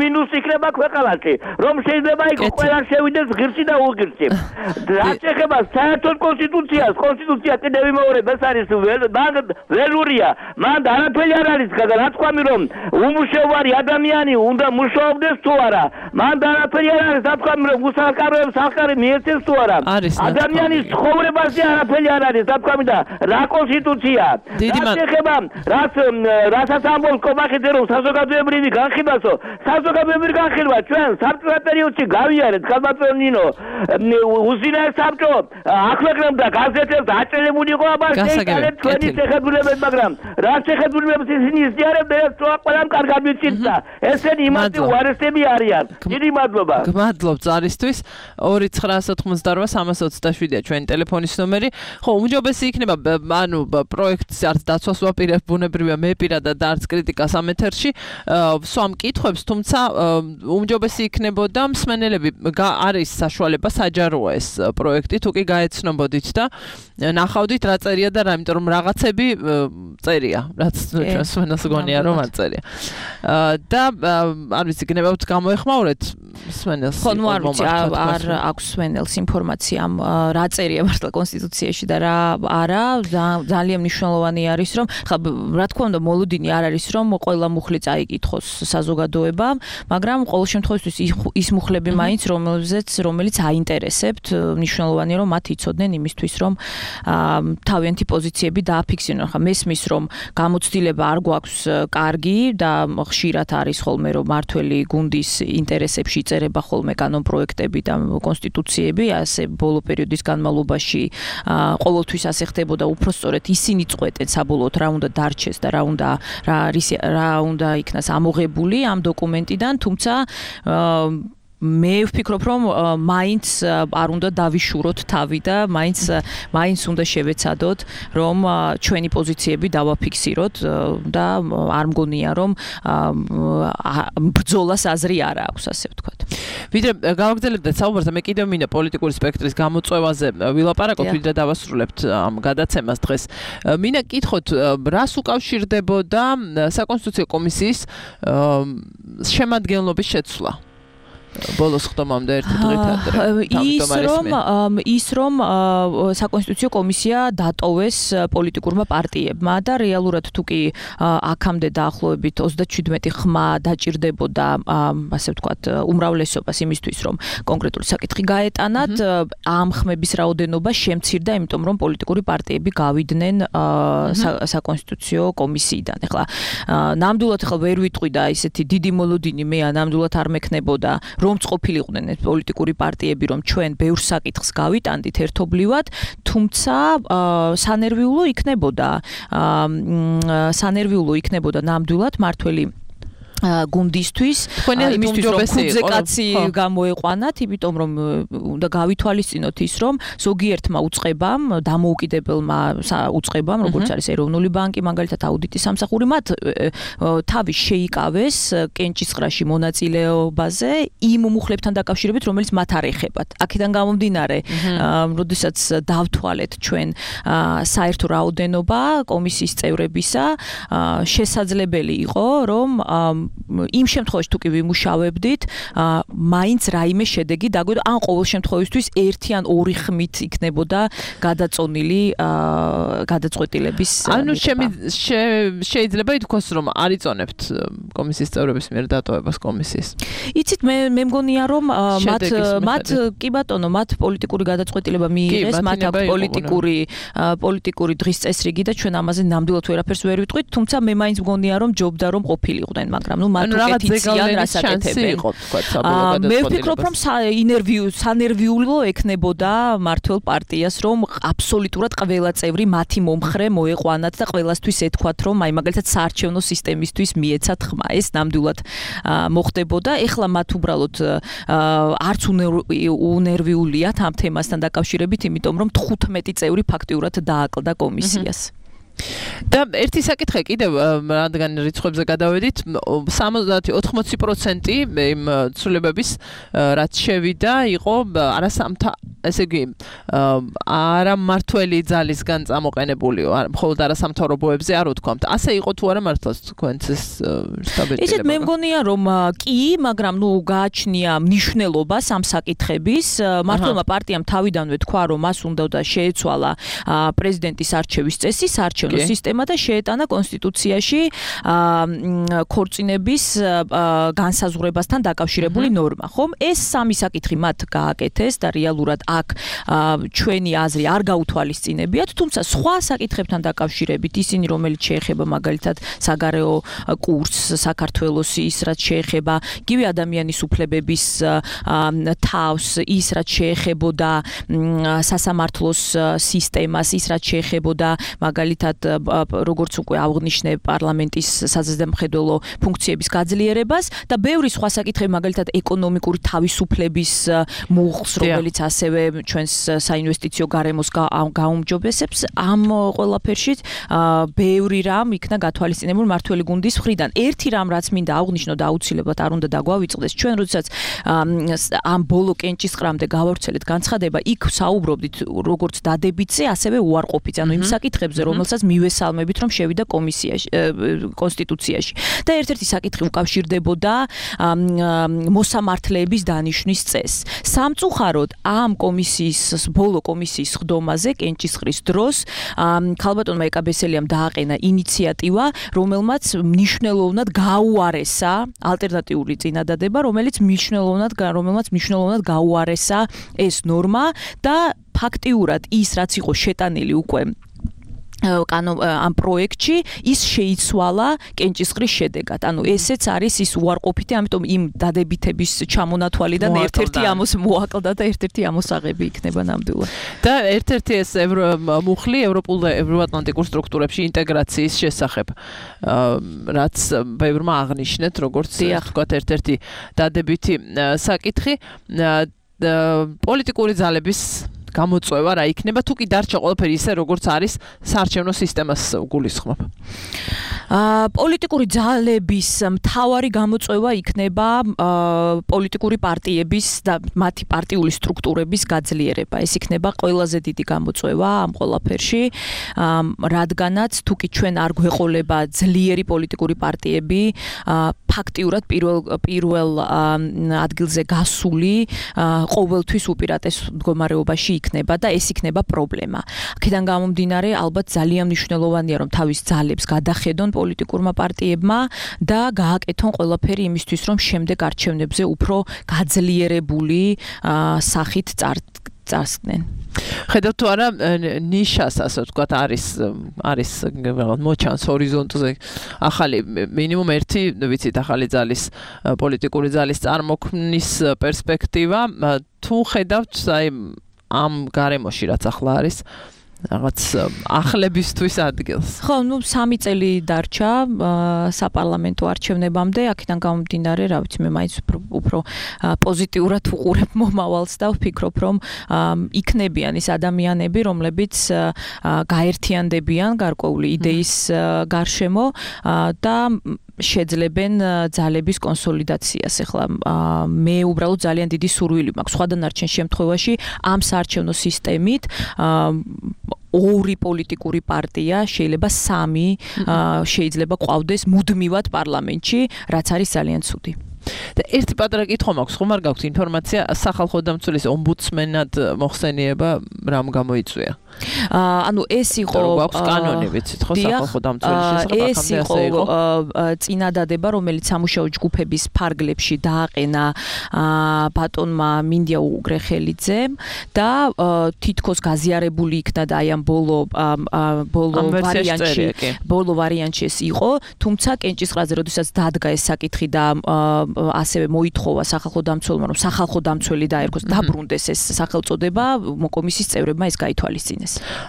მინუსი იქნება ქვეყანაში, რომ შეიძლება იქ ყველა შევიდეს ღირსი და უღირსი. რაც ეხება საერთოდ კონსტიტუცია კიდევ ვიმეორებ, ეს არის ველურია, მან არაფერი არ არის, რა თქვა რომ უმუშევარი ადამიანი უნდა მუშაობდეს თუ არა, მან არაფერი არ არის, რა თქვა რომ უსახკაროებს სახკარი მიეცეს თუ არა, ადამიანის ცხოვრებაზე არაფერი არ არის, რა თქვა და რა კონსტიტუცია. რაც ეხება რასაც ამბობს კომახეთე რომ საზოგადოებრივი განხილვასო, საზოგადოებრივი განხილვა ჩვენ საბჭოთა პერიოდში გავიარეთ, ქალბატონო ნინო, უზინაეს საბჭო აქვეყნებდა გაზეთებს, აჭრილებული იყო აბა შეიკალეთ ჩვენი შეხედულებები, მაგრამ რა შეხედულებებს ისინი იზიარებდნენ, ეს ყველამ კარგად ვიცით. ესენი იმათი უარესები არიან. დიდი მადლობა. გმადლობ ზარისთვის. 2998327-ია ჩვენი ტელეფონის ნომერი. ხო, უმჯობესი იქნება, ანუ პროექტს არც დაცვას ვაპირებ, ბუნებრივია მე პირადად და არც კრიტიკას ამ ეთერში სვამ კითხვებს, თუმცა უმჯობესი იქნებოდა მსმენელები არის საშუალება საჯაროა ეს პროექტი, თუ კი გაეცნობოდით და ნახავდით რა წერია და რა, იმიტომ რომ რაღაცები წერია, რაც ჩვენ მსმენელს გონია რომ არ წერია. და არ ვიცი, გნებავთ გამოეხმაურეთ მსმენელს. ხო, ნუ არ ვიცი, არ აქვს მსმენელს ინფორმაცია რა წერია მართლა კონსტიტუციაში და რა არა, ძალიან მნიშვნელოვანი არის რომ ხა რა თქმა უნდა მოლოდინი არ არის რომ ყველა მუხლი წაიკითხოს საზოგადოებამ, მაგრამ ყოველ შემთხვევაში ის მუხლები მაინც რომელიც აინტერესებთ, მნიშვნელოვანია რომ მათ იცოდნენ იმისთვის რომ თავიანთი პოზიციები დააფიქსირონ. ხა მესმის რომ გამოცდილება არ გვაქვს კარგი და ხშირად არის ხოლმე რომ მართველი გუნდის ინტერესებში იწერება ხოლმე კანონპროექტები და კონსტიტუციები, ასე ბოლო პერიოდის განმავლობაში ყოველთვის ასე ხდებოდა, უფრო სწორედ ისინი წყვეტენ საბოლოოდ რა უნდა დარჩეს და რა უნდა იქნას ამოღებული ამ დოკუმენტიდან, თუმცა მე ვფიქრობ რომ მაინც არ უნდა დავიშუროთ თავი და მაინც უნდა შევეცადოთ რომ ჩვენი პოზიციები დავაფიქსიროთ და არ მგონია რომ ბრძოლას აზრი არ აქვს, ასე ვთქვათ. ვიდრე გავაგრძელებდეთ საუბარს, მე კიდევ მინდა პოლიტიკური სპექტრის გამოწვევაზე ვილაპარაკოთ, ვიდრე დავასრულებთ ამ გადაცემას დღეს. მინდა კითხოთ, რას უკავშირდებოდა საკონსტიტუციო კომისიის შემადგენლობის შეცვლა? ბოლოს ხდომამდე ერთი დღით ადრე. ის რომ საკონსტიტუციო კომისია დატოვეს პოლიტიკურმა პარტიებმა და რეალურად თუ კი აქამდე დაახლოებით 37 ხმა დაჭირდებოდა ასე ვთქვათ უმრავლესობას იმისთვის რომ კონკრეტული საკითხი გაეტანათ ამ ხმების რაოდენობა შემცირდა იმიტომ რომ პოლიტიკური პარტიები გავიდნენ საკონსტიტუციო კომისიიდან. ეხლა ნამდვილად ვერ ვიტყვი და ისეთი დიდი მოლოდინი მე ნამდვილად არ მექნებოდა რომ ყოფილიყვნენ ეს პოლიტიკური პარტიები რომ ჩვენ ბევრ საკითხს გავიტანდით ერთობლივად, თუმცა სანერვიულო იქნებოდა ნამდვილად მართველი გუნდისთვის იმისთვის რომ ხუთზე კაცი გამოეყვანათ, იმიტომ რომ უნდა გავითვალისწინოთ ის რომ ზოგიერთმა უწყებამ, დამოუკიდებელმა უწყებამ, როგორც არის ეროვნული ბანკი, მაგალითად აუდიტის სამსახური, მათ თავი შეიკავეს კენჭისყრაში მონაწილეობაზე იმ მუხლებთან დაკავშირებით, რომელიც მათ არ ეხებათ. აქედან გამომდინარე, როდესაც დავთვალეთ ჩვენ საერთო რაოდენობა კომისიის წევრებისა, შესაძლებელი იყო რომ იმ შემთხვევაში თუ კი ვიმუშავებდით, მაინც რაიმე შედეგი დაგვედა, ან ყოველ შემთხვევისთვის ერთი ან ორი ხმით იქნებოდა გადაწყვეტილების. ანუ შეიძლება ითქვას, რომ არ იწონებთ კომისიის წევრების მიერ დატოვებას კომისიის. იცით, მე მგონია, რომ მათ კი ბატონო, მათ პოლიტიკური გადაწყვეტილება მიიღეს, მათ აქვს პოლიტიკური დღის წესრიგი და ჩვენ ამაზე ნამდვილად ვერაფერს ვერ ვიტყვით, თუმცა მე მაინც მგონია, რომ ჯობდა რომ ყოფილიყვნენ, მაგრამ მათ უკეთიციან რასაკეთებენ. მე ვფიქრობ, რომ სანერვიულო ექნებოდა მართლ პარტიას, რომ აბსოლუტურად ყველა წევრი მათი მომხრე მოეყვანათ და ყველასთვის ეთქვათ, რომ აი მაგალითად საარჩევნო სისტემისთვის მიეცათ ხმა. ეს ნამდვილად მოხდებოდა. ეხლა მათ უბრალოდ არც უნერვიულიათ ამ თემასთან დაკავშირებით, იმიტომ რომ 15 წევრი ფაქტიურად დააკლდა კომისიას. და ერთი საკითხი კიდევ რადგან რიცხვებზე გადავედით 70-80% იმ ცვლილებების რაც შევიდა იყო ესე იგი არა მართველი ძალისგან წამოყენებულიო მხოლოდ არასამთავრობოებზე არ ვთქვამთ ასე იყო თუ არა მართლაც თქვენც ეს სტაბილიზება ისეთ მე მგონია რომ კი მაგრამ გააჩნია მნიშვნელობა ამ საკითხების მართლმა პარტიამ თავიდანვე თქვა რომ მას უნდა შეეცვალა პრეზიდენტის არჩევის წესი საარჩევნო სისტემა და შეეტანა კონსტიტუციაში ქორწინების განსაზღვრებასთან დაკავშირებული ნორმა ხომ ეს სამი საკითხი მათ გააკეთეს და რეალურად აქ ჩვენი აზრი არ გაუთვალისწინებიათ თუმცა სხვა საკითხებთან დაკავშირებით ისინი რომელიც შეეხება მაგალითად საგარეო კურსს საქართველოს ის რაც შეეხება გივი ადამიანის უფლებების თავს ის რაც შეეხებოდა სასამართლოს სისტემას ის რაც შეეხებოდა მაგალითად როგორც უკვე აღნიშნე პარლამენტის საზრდამხედველო ფუნქციების გაძლიერებას და ბევრი სხვა საკითხები მაგალითად ეკონომიკური თავისუფლების მუხლს რომელიც ასევე ჩვენს საინვესტიციო გარემოს გაუმჯობესებს ამ ყველაფერში ბევრი რამ იქნა გათვალისწინებული მართველი გუნდის მხრიდან ერთი რამ რაც მინდა აღნიშნო და აუცილებლად არ უნდა დაგვავიწყდეს ჩვენ როდესაც ამ ბოლო კენჭისყრამდე გავავრცელეთ განცხადება იქ საუბრობდით როგორც დადებითზე ასევე უარყოფით ანუ იმ საკითხებზე რომელსაც მივესალმებით რომ შევიდა კომისიაში კონსტიტუციაში და ერთ-ერთი საკითხი უკავშირდებოდა მოსამართლეების დანიშვნის წესს სამწუხაროდ ამ კომისიის ბოლო კომისიის ხდომაზე კენჭისყრის დროს ქალბატონმა ეკაბესელიამ დააყენა ინიციატივა რომელმაც მნიშვნელოვნად გაუარესა ალტერნატიული წინადადება რომელმაც მნიშვნელოვნად გაუარესა ეს ნორმა და ფაქტიურად ის რაც იყო შეტანილი უკვე ამ პროექტში ის შეიცვალა კენჭისყრის შედეგად. ანუ ესეც არის ის უარყოფითი, ამიტომ იმ დადებითების ჩამონათვალიდან ერთ-ერთი მოაკლდა და ერთ-ერთი ამოსაღები იქნება ნამდვილად. და ერთ-ერთი ეს მუხლი ევროატლანტიკურ სტრუქტურებში ინტეგრაციის შესახებ, რაც ბევრმა აღნიშნეთ, როგორც თქვათ ერთ-ერთი დადებითი საკითხი, პოლიტიკური ძალების გამოწვევა რა იქნება თუ კი დარჩა ყველაფერი ისე როგორც არის საარჩევნო სისტემას გულისხმობ. პოლიტიკური ძალების მთავარი გამოწვევა იქნება პოლიტიკური პარტიების და მათი პარტიული სტრუქტურების გაძლიერება. ეს იქნება ყველაზე დიდი გამოწვევა ამ ყველაფერში, რადგანაც თუ კი ჩვენ არ გვეყოლება ძლიერი პოლიტიკური პარტიები, ფაქტიურად პირველ ადგილზე გასული ყოველთვის უპირატეს მდგომარეობაში იქნება და ეს იქნება პრობლემა. აქედან გამომდინარე, ალბათ ძალიან მნიშვნელოვანია, რომ თავის ძალებს გადახედონ პოლიტიკურმა პარტიებმა და გააკეთონ ყველაფერი იმისთვის, რომ შემდეგ არჩევნებზე უფრო გაძლიერებული სახით წარსკნენ. ხედავთ თუ არა ნიშას ასე ვთქვათ არის მოჩანს ჰორიზონტზე ახალი მინიმუმ ერთი ვიცით ახალი ძალის პოლიტიკური ძალის წარმოქმნის პერსპექტივა თუ ხედავთ აი ამ გარემოში რაც ახლა არის რაღაც ახლებისთვის ადგილს. ხო, 3 წელი დარჩა საპარლამენტო არჩევნებამდე, აქედან გამომდინარე, რა ვიცი, მე მაინც უფრო პოზიტიურად უყურებ მომავალს და ვფიქრობ, რომ იქნებიან ის ადამიანები, რომლებიც გაერთიანდებიან გარკვეული იდეის გარშემო და შეძლებენ ძალების კონსოლიდაციას. ეხლა მე უბრალოდ ძალიან დიდი სურვილი მაქვს სხვა დანარჩენ შემთხვევაში ამ საარჩევნო სისტემით ორი პოლიტიკური პარტია, შეიძლება 3 შეიძლება ყვავდეს მუდმივად პარლამენტში, რაც არის ძალიან ცუდი. და ერთი პატარა კითხვა მაქვს, ხომ არ გაქვთ ინფორმაცია სახალხო დამცველის ომბუდსმენად მოხსენება რამ გამოიწვია? ანუ ეს იყო გვაქვს კანონი ვიცით ხო სახალხო დამცველის შესახებ ეს იყო წინადადება რომელიც სამუშაო ჯგუფების ფარგლებში დააყენა ბატონმა მინდია უგრეხელიძემ და თითქოს გაზიარებული იქნა და აი ამ ბოლო ვარიანტში ეს იყო, თუმცა კენჭისყრაზე როდესაც დადგა ეს საკითხი და ასევე მოითხოვა სახალხო დამცველმა რომ სახალხო დამცველი დაერქოს დაბრუნდეს ეს სახელწოდება, კომისიის წევრებმა ეს გაითვალისწინეს.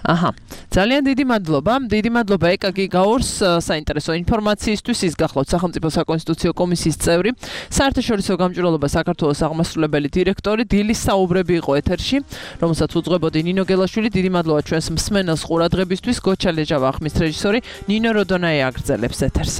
აჰა. ძალიან დიდი მადლობა. დიდი მადლობა ეკაგი გაორს საინტერესო ინფორმაციისთვის. ის გახლავთ სახელმწიფო საკონსტიტუციო კომისიის წევრი, საერთაშორისო გამჭვირვალობა საქართველოს აღმასრულებელი დირექტორი. დილის საუბრები იყო ეთერში, რომელსაც უძღვებოდი ნინო გელაშვილი. დიდი მადლობა ჩვენს მსმენელს ყურადღებისთვის. გოჩა ლეჯავა ხმის რეჟისორი, ნინო როდონაი აგრძელებს ეთერს.